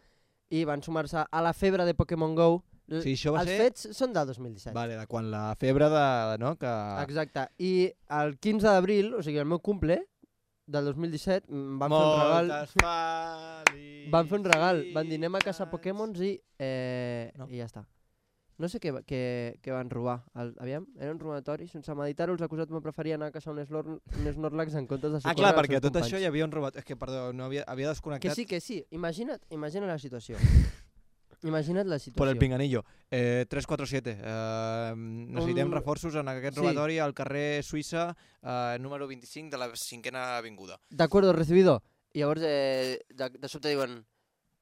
i van sumar-se a la febre de Pokémon GO. L- Sí, això va Els ser... fets són del dos mil disset. Vale, de quan la febre de... No? Que... Exacte. I el quinze d'abril, o sigui, el meu cumple, del dos mil disset, mm, van fer un regal... Moltes Van fer un regal, van dir anem a caçar Pokémons i, eh, No. i ja està. No sé què, va- què, què van robar. El, aviam, era un robatori. Sense meditar-ho, els acusats me preferien anar a caçar un, Slor un Snorlax en comptes de Ah, socórrer clar, els perquè seus tot companys. això hi havia un robat... És que, perdó, no havia, havia Que desconnectat sí, que sí. Imagina't, imagina't la situació. Imagina't la situació. por el pinganillo. Eh, tres quatre siete. Eh, necessitem Un- reforços en aquest Sí. robatori al carrer Suïssa, eh, número vint-i-cinc de la cinquena avinguda. D'acord, recibido. I llavors eh, de, de sobte diuen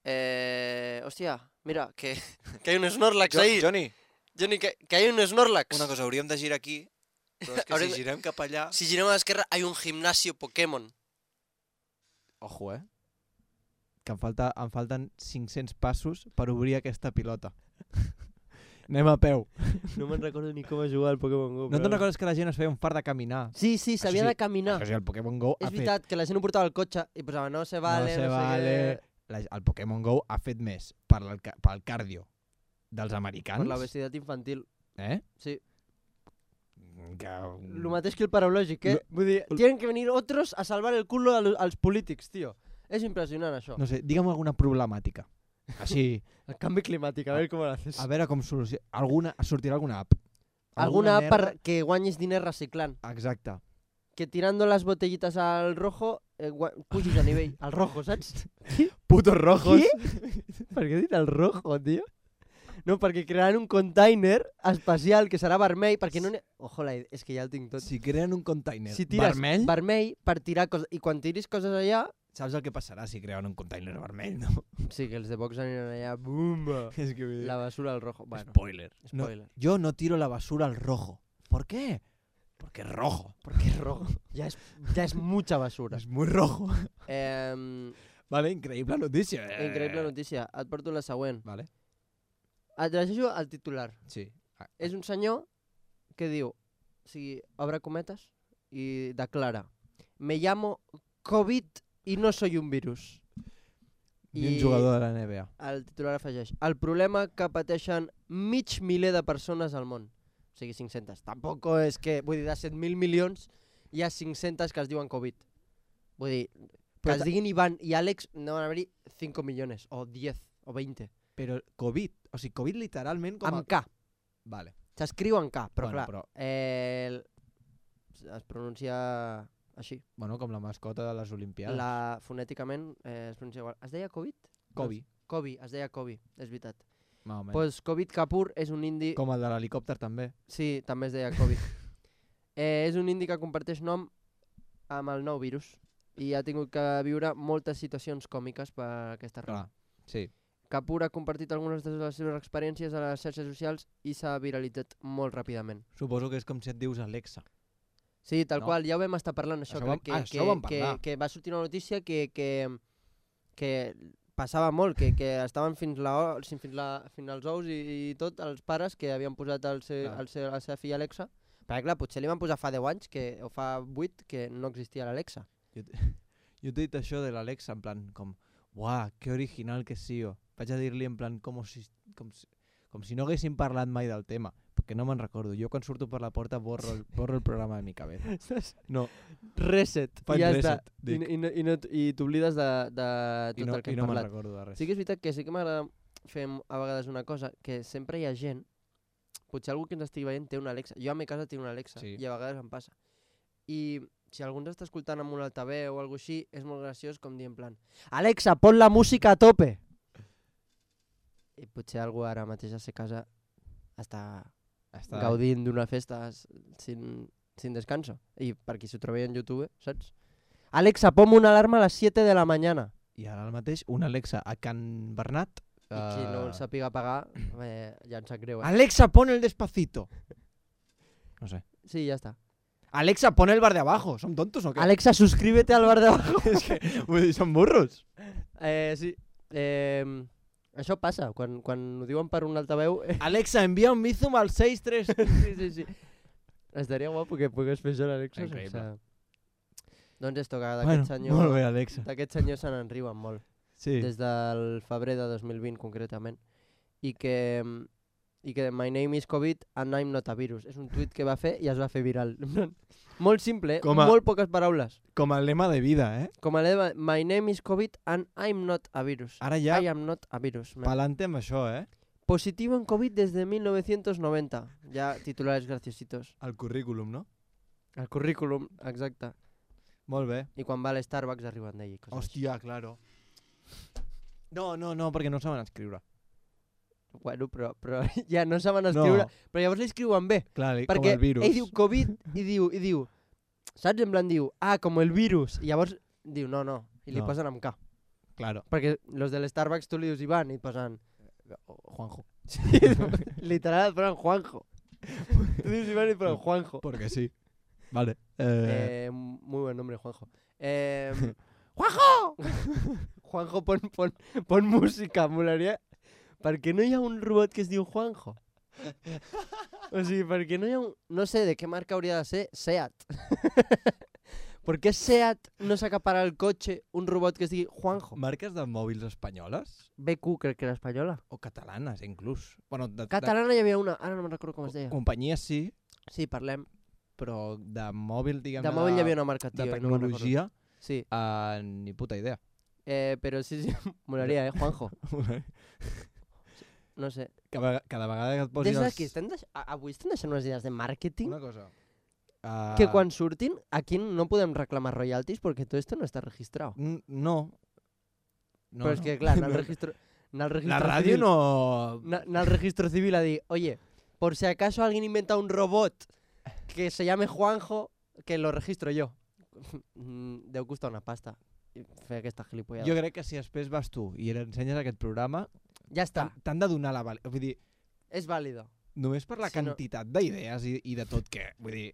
eh, hòstia, mira, que, que hay un Snorlax Jo, ahí. Johnny, Johnny, que, que hay un Snorlax. una cosa, hauríem de girar aquí, però és que Haurem si de- girem cap allà... Si girem a l'esquerra, hay un gimnasio Pokémon. Ojo, eh? Que em, falta, em falten cinc-cents passos per obrir aquesta pilota. Anem a peu. No me'n recordo ni com es jugar al Pokémon GO. No te'n recordes que la gent es feia un fart de caminar? Sí, sí, s'havia sí. de caminar. Això sí, el Pokémon GO És ha fet... veritat que la gent ho portava al cotxe i posava no se vale, no se no sé vale. què... La, el Pokémon GO ha fet més per el, ca- pel cardio dels americans. Per l'obesitat infantil. Eh? Sí. Que... Lo mateix que el paraulògic, eh? Vull dir, tienen que venir otros a salvar el culo a lo- als polítics, tio. És impressionant, això. No sé, digue'm alguna problemàtica. Així, El canvi climàtic, a veure com ho haces. a veure com soluciona... Alguna, sortirà alguna app. Alguna app merda? per que guanyis diners reciclant. Exacte. Que tirando las botellitas al rojo, eh, gua- pugis a nivell. Al rojo, saps? Putos rojos. Per què he dit el rojo, tio? No, perquè crearan un container especial que serà vermell, perquè no... n'hi- Ojo, la idea, és que ja el tinc tot. Si creen un container Si tires vermell, vermell per tirar coses... I quan tiris coses allà... saps el que passarà si creuen un container vermell, no? Sí, que els de Vox aniran allà... Bumba! És que vull dir... La basura al rojo. Bueno, Spoiler. No, spoiler. yo no tiro la basura al rojo. ¿Por qué? Porque es rojo. Perquè és rojo. Ja és, ja és mucha basura. Es muy rojo. Eh, Vale, increïble notícia. Eh. increïble notícia. Et porto la següent. Vale, Et llegeixo el titular. sí. Ah, És un senyor que diu, o sigui, obre cometes i declara: Me llamo COVID i no soy un virus. Ni un I- jugador de la N B A. El titular afegeix: el problema que pateixen mig miler de persones al món. O sigui, cinc-centes. Tampoc és que, vull dir, de set mil milions hi ha cinc-centes que es diuen Covid. Vull dir, que Però es ta- diguin Ivan i Àlex, no van haver-hi cinc milions, o diez, o veinte. Però COVID, o sigui, COVID literalment com a... Amb K. Vale. S'escriu en K, però Bueno, clar, però- eh, el- es pronuncia així. Bueno, com la mascota de les Olimpiades. La, fonèticament eh, es pronuncia igual. Es deia Covid? Kobe, Kobe, es deia Kobe, és veritat. més o menys. Pues Covid Kapoor és un indi... Com el de l'helicòpter també. Sí, també es deia Kobe. eh, és un indi que comparteix nom amb el nou virus i ha tingut que viure moltes situacions còmiques per aquesta raó. Clar, sí. Kapoor ha compartit algunes de les seves experiències a les xarxes socials i s'ha viralitzat molt ràpidament. Suposo que és com si et dius Alexa. Sí, tal No? qual, ja ho vam estar parlant, això, Això crec vam- que, ah, això que, ho vam que, parlar. que va sortir una notícia que, que, que passava molt, que, que estaven fins, la, o- fins, la, fins als ous i, i tot els pares que havien posat el seu, Clar. el seu, la seva filla Alexa, perquè clar, potser li van posar fa deu anys que, o fa vuit que no existia l'Alexa. Jo, t- jo t'he dit això de l'Alexa en plan com, uah, que original que sigo. Vaig a dir-li en plan com si, com, si, com si no haguéssim parlat mai del tema, perquè no me'n recordo. Jo quan surto per la porta borro el, borro el programa de mi cabeza. No, Reset, Faig i ja reset, està. I, dic. i, no, i, no, i t'oblides de, de tot i no, el que i hem no me'n parlat. recordo de res. Sí que és veritat que sí que m'agrada fer a vegades una cosa, que sempre hi ha gent, potser algú que ens estigui veient té una Alexa. Jo a mi casa tinc una Alexa Sí. i a vegades em passa. I si algú ens està escoltant amb un altaveu o alguna així, és molt graciós com dir en plan Alexa, pon la música a tope! I potser algú ara mateix a sa casa està, Està... gaudint d'una festa s- sin, sin descanso. I per qui s'ho trobi en YouTube, saps? Alexa, ponme una alarma a les siete de la mañana. I ara el mateix, una Alexa a Can Bernat. I qui no eh, el sàpiga pagar, eh, ja em sap greu, eh? Alexa, pon el Despacito. No sé. Sí, ja està. Alexa, pon el bar de abajo. ¿Son tontos o qué? Alexa, suscríbete al bar de abajo. Es que, vull dir, són burros. Eh, sí. Eh, això passa, quan, quan ho diuen per un altaveu... Eh, Alexa, envia un Bizum al seis tres. sí, sí, sí. Estaria guapo que pogués fer això l'Alexa. Increïble. Sense... Doncs esto, que Bueno, d'aquest senyor... molt bé, Alexa. D'aquest senyor se n'en riuen molt. Sí. Des del febrer de dos mil vint, concretament. I que... I que my name is COVID and I'm not a virus. És un tuit que va fer i es va fer viral. Molt simple, Com a- molt poques paraules. Com a lema de vida, eh? Com a lema, my name is COVID and I'm not a virus. Ara ja, I am not a virus. man. pa'lante amb això, eh? Positivo en COVID desde mil novecientos noventa. Ya titulares graciositos. El currículum, no? El currículum, exacte. Molt bé. I quan va a l'Starbucks arriben d'ell. i coses així. Hòstia, claro. No, no, no, perquè no saben escriure. Bueno, però, però ja no saben escriure. No. Però llavors l'escriuen bé. Clar, com Perquè el virus. ell diu COVID i diu, i diu, saps? En plan diu, ah, com el virus. I llavors diu, no, no. I li No. posen amb K. Claro. Perquè los del Starbucks tu li dius Ivan i et posen... Juanjo. Sí, literal et posen Juanjo. Tu dius Ivan i et posen Juanjo. Porque sí. Vale. Eh, Eh, muy buen nombre, Juanjo. Eh, ¡Juanjo! Juanjo, pon, pon, pon música, molaria. Per què no hi ha un robot que es diu Juanjo? O sigui, per què no hi ha un... No sé de què marca hauria de ser Seat. ¿Por qué Seat no s'acapara el cotxe un robot que es digui Juanjo? marques de mòbils espanyoles B Q, crec que era espanyola. o catalanes, inclús. Bueno, de, Catalana hi havia una, ara no me'n recordo com es de deia. companyies sí, Sí, parlem. però de mòbil, diguem De mòbil hi havia una marca, tio, de i no me'n recordo. tecnologia, Sí, uh, ni puta idea. eh, però sí, sí, molaria, eh, Juanjo. No sé. cada, cada vegada que et posis Des els... d'aquí, estem deix... a- avui estem deixant unes idees de màrqueting Una cosa. Uh, que quan surtin aquí no podem reclamar royalties perquè tot esto no està registrat. n- No. no. Però és no. que, clar, anar al No. registro... Anar al registro La ràdio civil, no... na- anar al registro civil a dir, oye, por si acaso alguien inventa un robot que se llame Juanjo, que lo registro yo. Mm, Deu costar una pasta fer aquesta gilipollada. Jo crec que si després vas tu i l'ensenyes aquest programa, Ja està, t'han t'han de donar la... val- Vull dir, és vàlido. només per la Si no- quantitat d'idees i, i de tot que... Vull dir...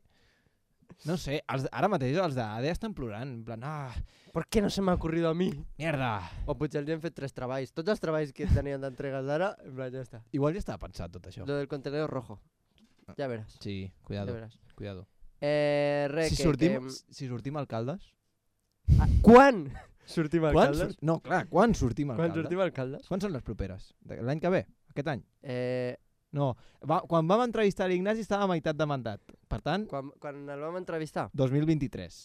No sé, els, ara mateix els d'A D E estan plorant, en plan, ah, ¿Por qué no se me ha ocurrido a mí? mierda. O potser els hem fet tres treballs. Tots els treballs que tenien d'entregues d'ara, en plan, ja està. Igual ja estava pensat tot això. Lo del contenedor rojo. Ja veràs. Sí, Ja cuidado, veràs. cuidado. Eh, res, Si que, sortim, que... si sortim alcaldes... Ah, quan sortim Quan alcaldes? sur... No, clar, quan sortim Quan alcaldes? sortim alcaldes? Quan són les properes? De- L'any que ve? Aquest any? Eh, No, va, quan vam entrevistar l'Ignasi estava a meitat de mandat. Per tant, quan, quan el vam entrevistar? dos mil vint-i-tres.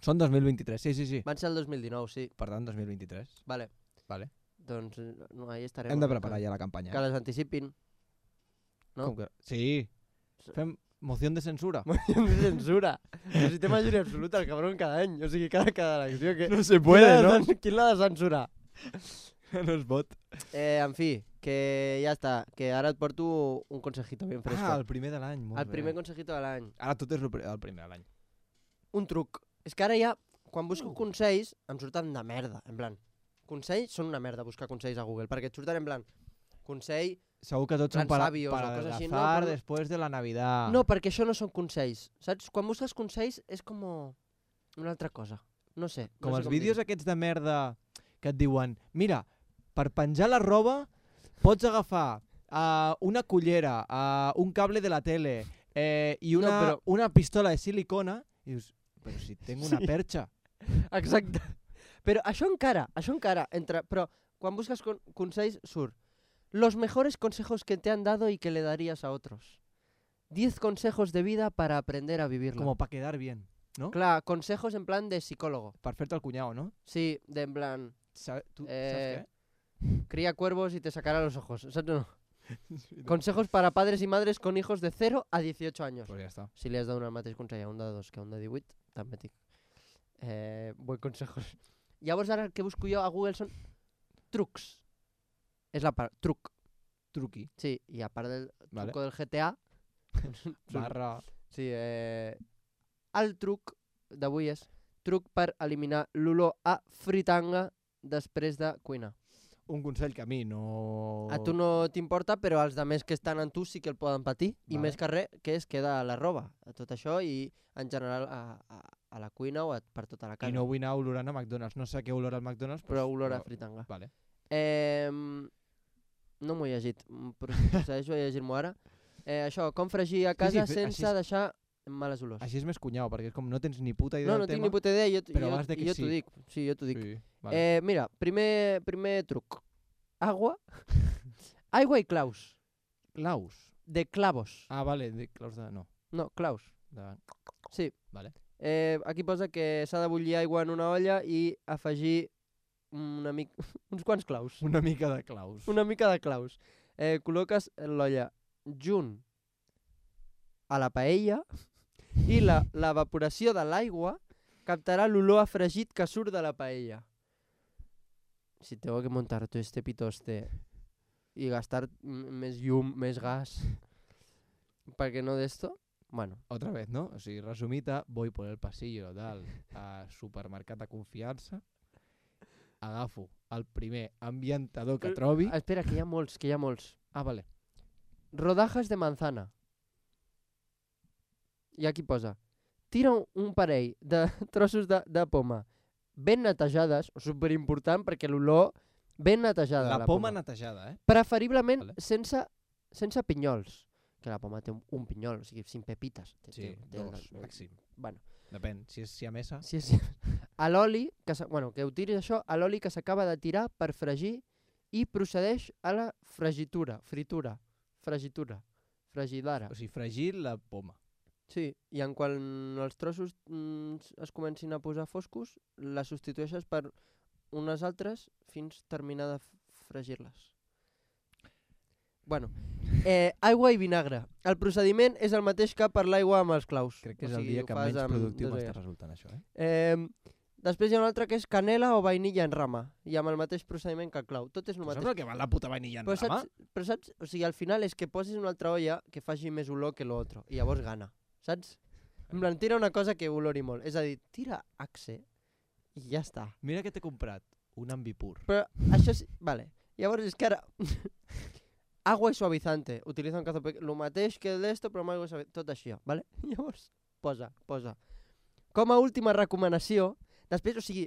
Són dos mil vint-i-tres, sí, sí, sí. Van ser el dos mil dinou, sí. Per tant, dos mil vint-i-tres. Vale. Vale. Doncs eh, no, ahí estarem. Hem de preparar ja la campanya. Que les anticipin. no? Com que... Sí. Fem moció de censura. de censura. Però si té majoria absoluta el cabron cada any. O sigui, cada, cada elecció que... No se Qui puede, l'ha de ¿no? cen- Qui l'ha de censurar? No es pot. Eh, en fi, que ja està. Que ara et porto un consejito ben fresco. Ah, el primer de l'any, molt el bé. primer consejito de l'any. Ara tot és el pri- el primer de l'any. Un truc. És que ara ja, quan busco consells, em surten de merda. En plan, consells són una merda buscar consells a Google, perquè et surten en plan, consell... Segur que tots són Plans para, sabios o para coses així, no, adelgazar però- después de la Navidad. No, perquè això no són consells. Saps? Quan busques consells és com una altra cosa. No sé. Com no sé els vídeos dir-ho. aquests de merda que et diuen, mira, per penjar la roba pots agafar uh, una cullera, uh, un cable de la tele eh, i No, una, però- una pistola de silicona i dius, però si tengo una Sí. perxa. Exacte. Però això encara, això encara, entre... Però quan busques con consells surt los mejores consejos que te han dado y que le darías a otros. diez consejos de vida para aprender a vivirla. Como para quedar bien, ¿no? Clar, consejos en plan de psicólogo. Per fer-te el cunyau, no? Sí, de en plan, Sabe, tu, Eh, saps cría cuervos y te sacará los ojos. ¿Sabes o no? què? Consejos para padres y madres con hijos de cero a dieciocho años. Pues ja està. Si li has donat el mateix consell a un de dos que a un de divuit, també et dic. Eh, buen consejos. Llavors ara el que busco jo a Google són trucs. És la part, truc. Truqui. Sí, i a part del Vale. truco del G T A, Barra... sí, eh, el truc d'avui és truc per eliminar l'olor a fritanga després de cuinar. Un consell que a mi no... A tu no t'importa, però els altres que estan en tu sí que el poden patir. I Vale. més que res, que es queda a la roba, a tot això, i en general a, a, a la cuina o a, per tota la casa. I no vull anar olorant a McDonald's. No sé què olor al McDonald's, Però olor a fritanga. Vale. Eh, no m'ho he llegit, mm, però procedeixo a llegir-m'ho ara. Eh, això, com fregir a casa sí, sense així és- deixar males olors. Així és més cunyau, perquè és com no tens ni puta idea No, no del tinc tema. ni puta idea, i jo, t- però jo, vas de que i jo t'ho sí. dic. Sí, jo t'ho dic. Sí, vale. Eh, mira, primer, primer truc. Agua. Aigua i claus. Claus. De clavos. Ah, vale, de claus de... No. No, claus. De... Sí. Vale. Eh, aquí posa que s'ha de bullir aigua en una olla i afegir una mica, uns quants claus. Una mica de claus. Una mica de claus. Eh, col·loques l'olla junt a la paella i la, l'evaporació de l'aigua captarà l'olor a fregit que surt de la paella. Si tengo que montar todo este pitoste y gastar m- més llum, més gas, perquè no d'esto, bueno, Otra vez, ¿no? O sigui, resumita, voy por el pasillo dalt a supermercat de confiança, agafo el primer ambientador que Eh, trobi... ah, espera, que hi ha molts, que hi ha molts. Ah, vale. Rodajas de manzana. I aquí posa, tira un, un parell de trossos de, de poma ben netejades, superimportant perquè l'olor ben netejada. La, la poma, poma. netejada, eh? Preferiblement Vale. sense, sense pinyols. Que la poma té un, un pinyol, o sigui, sin pepites. Té- Sí, té- té dos, una- màxim. Bueno, Depèn, si és siamesa... sí, sí. A l'oli, que, s'ha- bueno, que utilis això, a l'oli que s'acaba de tirar per fregir i procedeix a la fregitura, fritura, fregitura, fregidara. O sigui, fregir la poma. Sí, i en quan els trossos mm, s- es comencin a posar foscos, la substitueixes per unes altres fins terminar de f- fregir-les. Bueno, eh, aigua i vinagre. El procediment és el mateix que per l'aigua amb els claus. Crec que O és el sigui, dia ho que fas menys amb productiu dos m'està aigües. resultant això, eh? Eh, després hi ha un altre que és canela o vainilla en rama, i amb el mateix procediment que el clau. Tot és el Però mateix. saps el que val la puta vainilla en Però rama? saps, però saps, o sigui, al final és que posis una altra olla que faci més olor que l'altre, i llavors gana, saps? En plan, tira una cosa que olori molt, és a dir, tira Axe i ja està. Mira que t'he comprat un ambipur. Però això sí, vale, llavors és que ara... Agua i suavizante, utilitza un cazo pequeño, lo mateix que d'esto, però amb aigua i suavizante, tot això, vale? Llavors, posa, posa. Com a última recomanació, després, o sigui,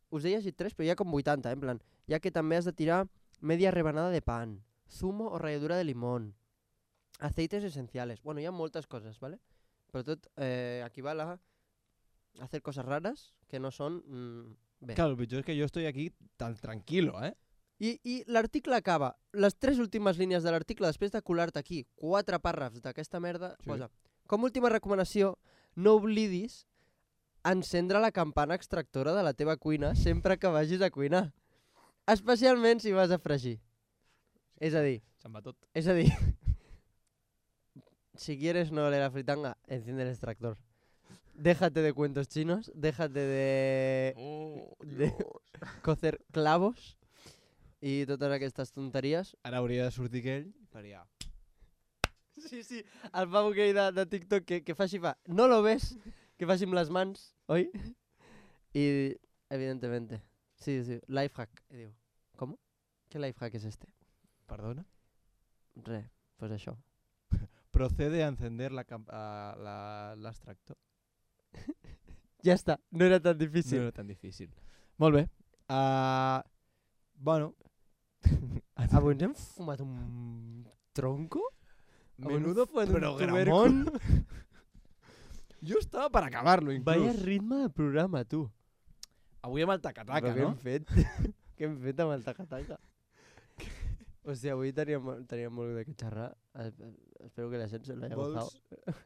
us he llegit tres, però hi ha com vuitanta, eh? En plan, ja que també has de tirar media rebanada de pan, zumo o ralladura de limón, aceites esenciales. Bueno, hi ha moltes coses, ¿vale? Però tot eh, equival a hacer cosas raras que no són mm, bé. Claro, el pitjor és que jo estoy aquí tan tranquilo, eh? I, i l'article acaba, les tres últimes línies de l'article, després de colar-te aquí quatre pàrrafs d'aquesta merda, Sí. posa, com a última recomanació, no oblidis encendre la campana extractora de la teva cuina sempre que vagis a cuinar. Especialment si vas a fregir. És a dir, Se'n va tot. és a dir, si quieres no oler la fritanga, enciende el extractor. Déjate de cuentos chinos, déjate de, de cocer clavos i totes aquestes tonteries. Ara hauria de sortir aquell i faria... Sí, sí, el pavo aquell de, de TikTok que, que fa així fa, no lo ves, que faci amb les mans, oi? I, evidentemente, sí, sí, lifehack, i diu, com? ¿Qué lifehack es este? Perdona? Re, pues això. Procede a encender la cam- a la- l'extractor. Ja està, no era tan No difícil. era tan difícil. Molt bé. Uh, bueno. Avui ens hem fumat un tronco? Menudo fue un programón. Jo estava per acabar-lo, inclús. Vaya ritme de programa, tu. Avui amb el taca-taca, Però què no? hem fet? Què hem fet amb el taca-taca? Hòstia, avui teníem, teníem molt de què xerrar. Es- es- Espero que la gent se l'haya Vols- gozado.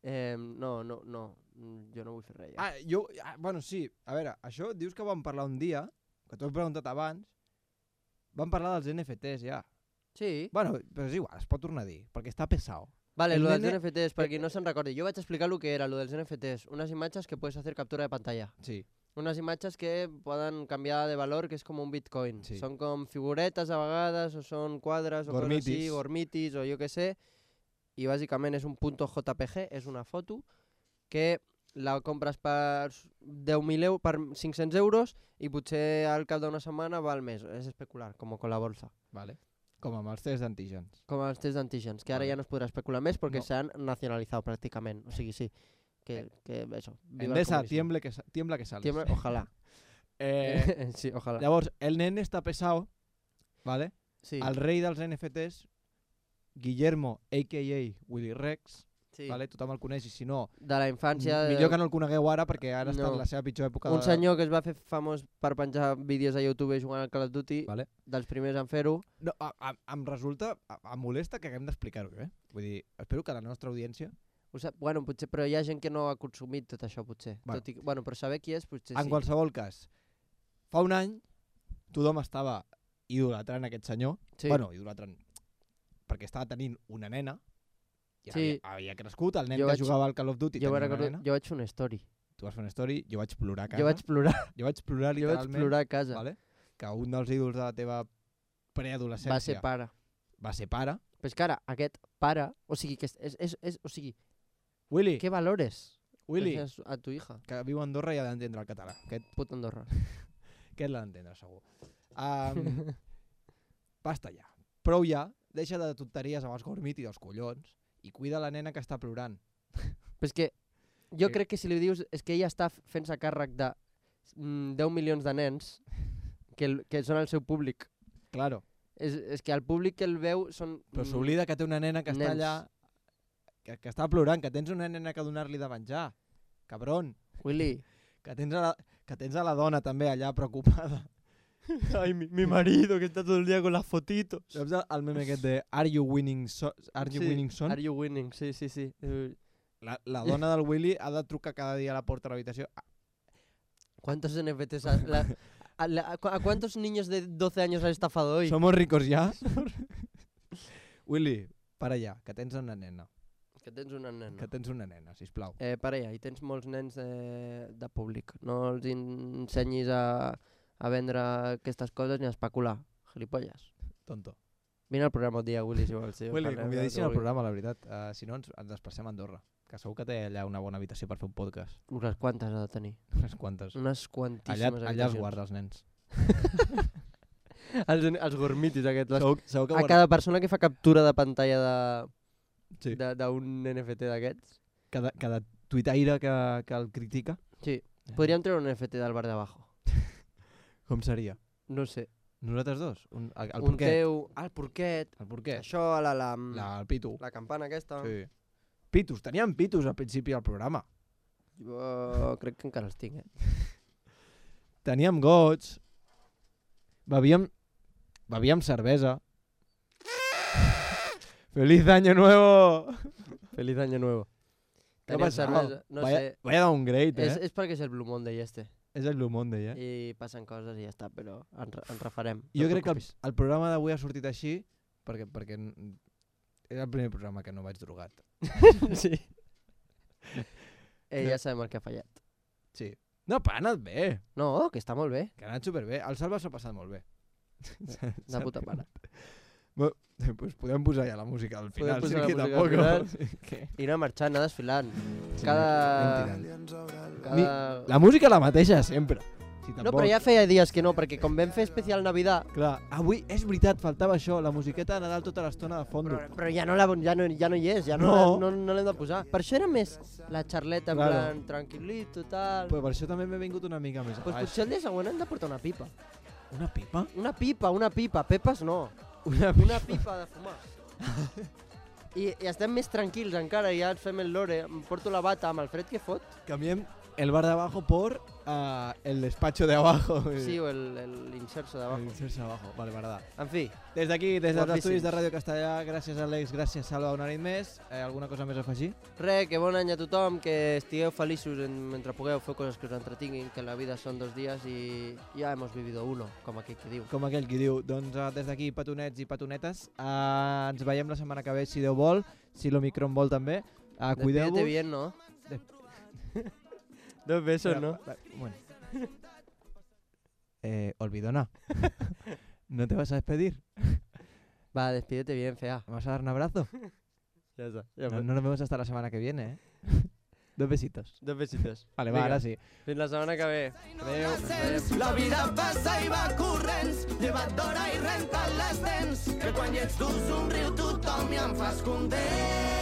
Eh, no, no, no. Mm, Jo no vull fer res ja. Ah, jo... Ah, bueno, sí. A veure, això dius que vam parlar un dia, que t'ho he preguntat abans, vam parlar dels N F Ts ja. Sí. Bueno, però és igual, es pot tornar a dir, perquè està pesado. Vale, el lo dels nene- N F Ts, per qui no se'n recordi. Jo vaig explicar lo que era, lo dels N F Ts. Unes imatges que puedes hacer captura de pantalla. Sí. Unes imatges que poden canviar de valor, que és com un bitcoin. Sí. Són com figuretes a vegades, o són quadres, o coses així, Gormitis. gormitis, o jo què sé. I bàsicament és un punto J P G, és una foto que la compres per deu mil euros, per cinc-cents euros i potser al cap d'una setmana val més. És especular, com con la bolsa. Vale. Com amb els tests d'antígens. Com els tests d'antígens, que ara Vale. ja no es podrà especular més perquè No. s'han nacionalitzat pràcticament. O sigui, sí, que, que eso. viva el Endesa, comunismo. tiemble que, sa- tiembla que sales. Tiembla, ojalá. Eh, sí, ojalá. llavors, el nen està pesado, ¿vale? Sí, El rei dels N F Ts, Guillermo, a k a. Willy Rex, sí. ¿vale? Tothom el coneix, i si no, De la infància... millor que no el conegueu ara perquè ara està No. en la seva pitjor època. Un de... senyor que es va fer famós per penjar vídeos a YouTube jugant al Call of Duty, Vale. dels primers en fer-ho. No, a, a, em resulta, a, em molesta que haguem d'explicar-ho, eh? Vull dir, espero que la nostra audiència, Ho sap, bueno, potser, però hi ha gent que no ha consumit tot això, potser. Bueno. Tot i, que- bueno, però saber qui és, potser en sí. qualsevol cas, fa un any tothom estava idolatrant aquest senyor, Sí. bueno, idolatrant, perquè estava tenint una nena, i Sí. havia, havia crescut, el nen Jo que vaig- jugava al Call of Duty jo, tenia me'n una recordo, nena, jo vaig fer una story. tu vas fer una story, jo vaig plorar a casa, Jo vaig plorar, jo vaig plorar jo vaig literalment, plorar a casa. vale? Que un dels ídols de la teva preadolescència Va ser pare. va ser pare. Però és que ara, aquest pare, o sigui, que és, és, és, és o sigui, Willy, què valores Willy, deixes a tu hija? que viu a Andorra i ha d'entendre el català. Aquest, Puta Andorra. aquest l'ha d'entendre, segur. Um, basta ja. Prou ja. Deixa de tonteries amb els gormit i dels collons i cuida la nena que està plorant. Però és que jo Que- crec que si li dius és que ella està fent-se càrrec de mm, deu milions de nens que, el, que són el seu públic. Claro. És, és que el públic que el veu són... Però mm, s'oblida que té una nena que està nens. allà, que, que està plorant, que tens una nena que donar-li de menjar. Cabron. Willy, Que tens, a la, que tens a la dona també allà preocupada. ay, mi, mi marido que está todo el día con las fotitos. Saps el- el meme aquest de Are you winning, so are you Sí, winning son? Are you winning? Sí, sí, sí. Eh, La, la dona del Willy ha de trucar cada dia a la porta de l'habitació. ¿Cuántos N F Ts? ha- la- a, la- ¿A cuántos niños de doce años has estafado hoy? Somos ricos ya. Willy, para allà, que tens una nena. Que tens una nena. Que tens una nena, sisplau. Eh, para allà, i tens molts nens de, de públic. No els ensenyis a, a vendre aquestes coses ni a especular. Gilipolles. Tonto. Vine al programa un dia, Willy, si vols. Sí, Willy, parlem del convidadíssim que al vulguis. programa, la veritat. Uh, si no, ens, ens desplacem a Andorra. Que segur que té allà una bona habitació per fer un podcast. Unes quantes ha de tenir. Unes quantes. Unes Allà, quantíssimes allà es habitacions. guarda els nens. els, els gormitis aquests. Les, Segur, segur que a guarda... cada persona que fa captura de pantalla de Sí. de- d'un N F T d'aquests. Cada, cada tuitaire que, que el critica. Sí. Podríem treure un N F T del bar de abajo. Com seria? No sé. Nosaltres dos? Un, el, el un porquet. teu... Ah, el porquet. El porquet. Això, la, la, La, el pitu. la campana aquesta. Sí. Pitus. Teníem pitus al principi del programa. Jo crec que encara els tinc, eh? Teníem gots. Bevíem... Bevíem cervesa. ¡Feliz año nuevo! Feliz año nuevo. ¿Qué ha Teníem pasado? cervesa, no vaya, sé. vaya downgrade, eh? És, és perquè és el Blue Monday este. És el Blue Monday, eh? I passen coses i ja està, però ens, re- ens refarem. Jo no et crec que el, preocupis. el programa d'avui ha sortit així perquè, perquè n- era el primer programa que no vaig drogat. sí. Eh, ja sabem el que ha fallat. Sí. No, però ha anat bé. No, que està molt bé. Que ha anat superbé. El Salva s'ha passat molt bé. De puta mare. Bueno, pues podem posar ja la música al Podem final. posar sí, la que música al tampoc. final. Sí, que... I anar marxant, anar desfilant. Sí, Cada... anem tirant. cada... La música la mateixa sempre. Si No, tampoc... però ja feia dies que no, perquè com vam fer especial Navidad, Clar, avui és veritat, faltava això, la musiqueta de Nadal tota l'estona de fondo. però, però ja, no la, ja, no, ja no hi és, ja no, No. no. no, no l'hem de posar. Per això era més la xarleta, en Claro. plan, tranquil·lito, tal... Però per això també m'he vingut una mica més Pues baix. potser el dia següent hem de portar una pipa. Una pipa? Una pipa, una pipa. Pepes no. Una Una pipa de fumar. I, I estem més tranquils encara, ja ens fem el lore. Em porto la bata amb el fred que fot. Cambiem el bar de abajo por uh, el despacho de abajo. Sí, o el, el inserso de El abajo. inserso de abajo. Vale, verdad. En fi, Des d'aquí, des dels Guapíssims. estudis de Ràdio Castellà, gràcies Àlex, gràcies Salva, una nit més. Eh, alguna cosa més a afegir? res, que bon any a tothom, que estigueu feliços en, mentre pugueu fer coses que us entretinguin, que la vida són dos dies i ja hemos vivido uno, com aquell que diu. Com aquell qui diu, doncs uh, des d'aquí, petonets i petonetes, uh, ens veiem la setmana que ve, si Déu vol, si l'Omicron vol també. Uh, Cuideu-vos. Despídete bien, ¿no? Dos besos, Espera, ¿no? va- Bueno. Eh, olvidona. ¿No te vas a despedir? Va, despídete bien, fea. ¿Me vas a dar un abrazo? Ya está. Ya No, no nos vemos hasta la semana que viene, ¿eh? Dos besitos. Dos besitos. Vale, va, Vinga. ara sí. Fins la setmana que ve. Adéu. La vida passa i va corrents, lleva't d'hora i renta't les dents, que quan hi ets tu somriu tothom i em fas content.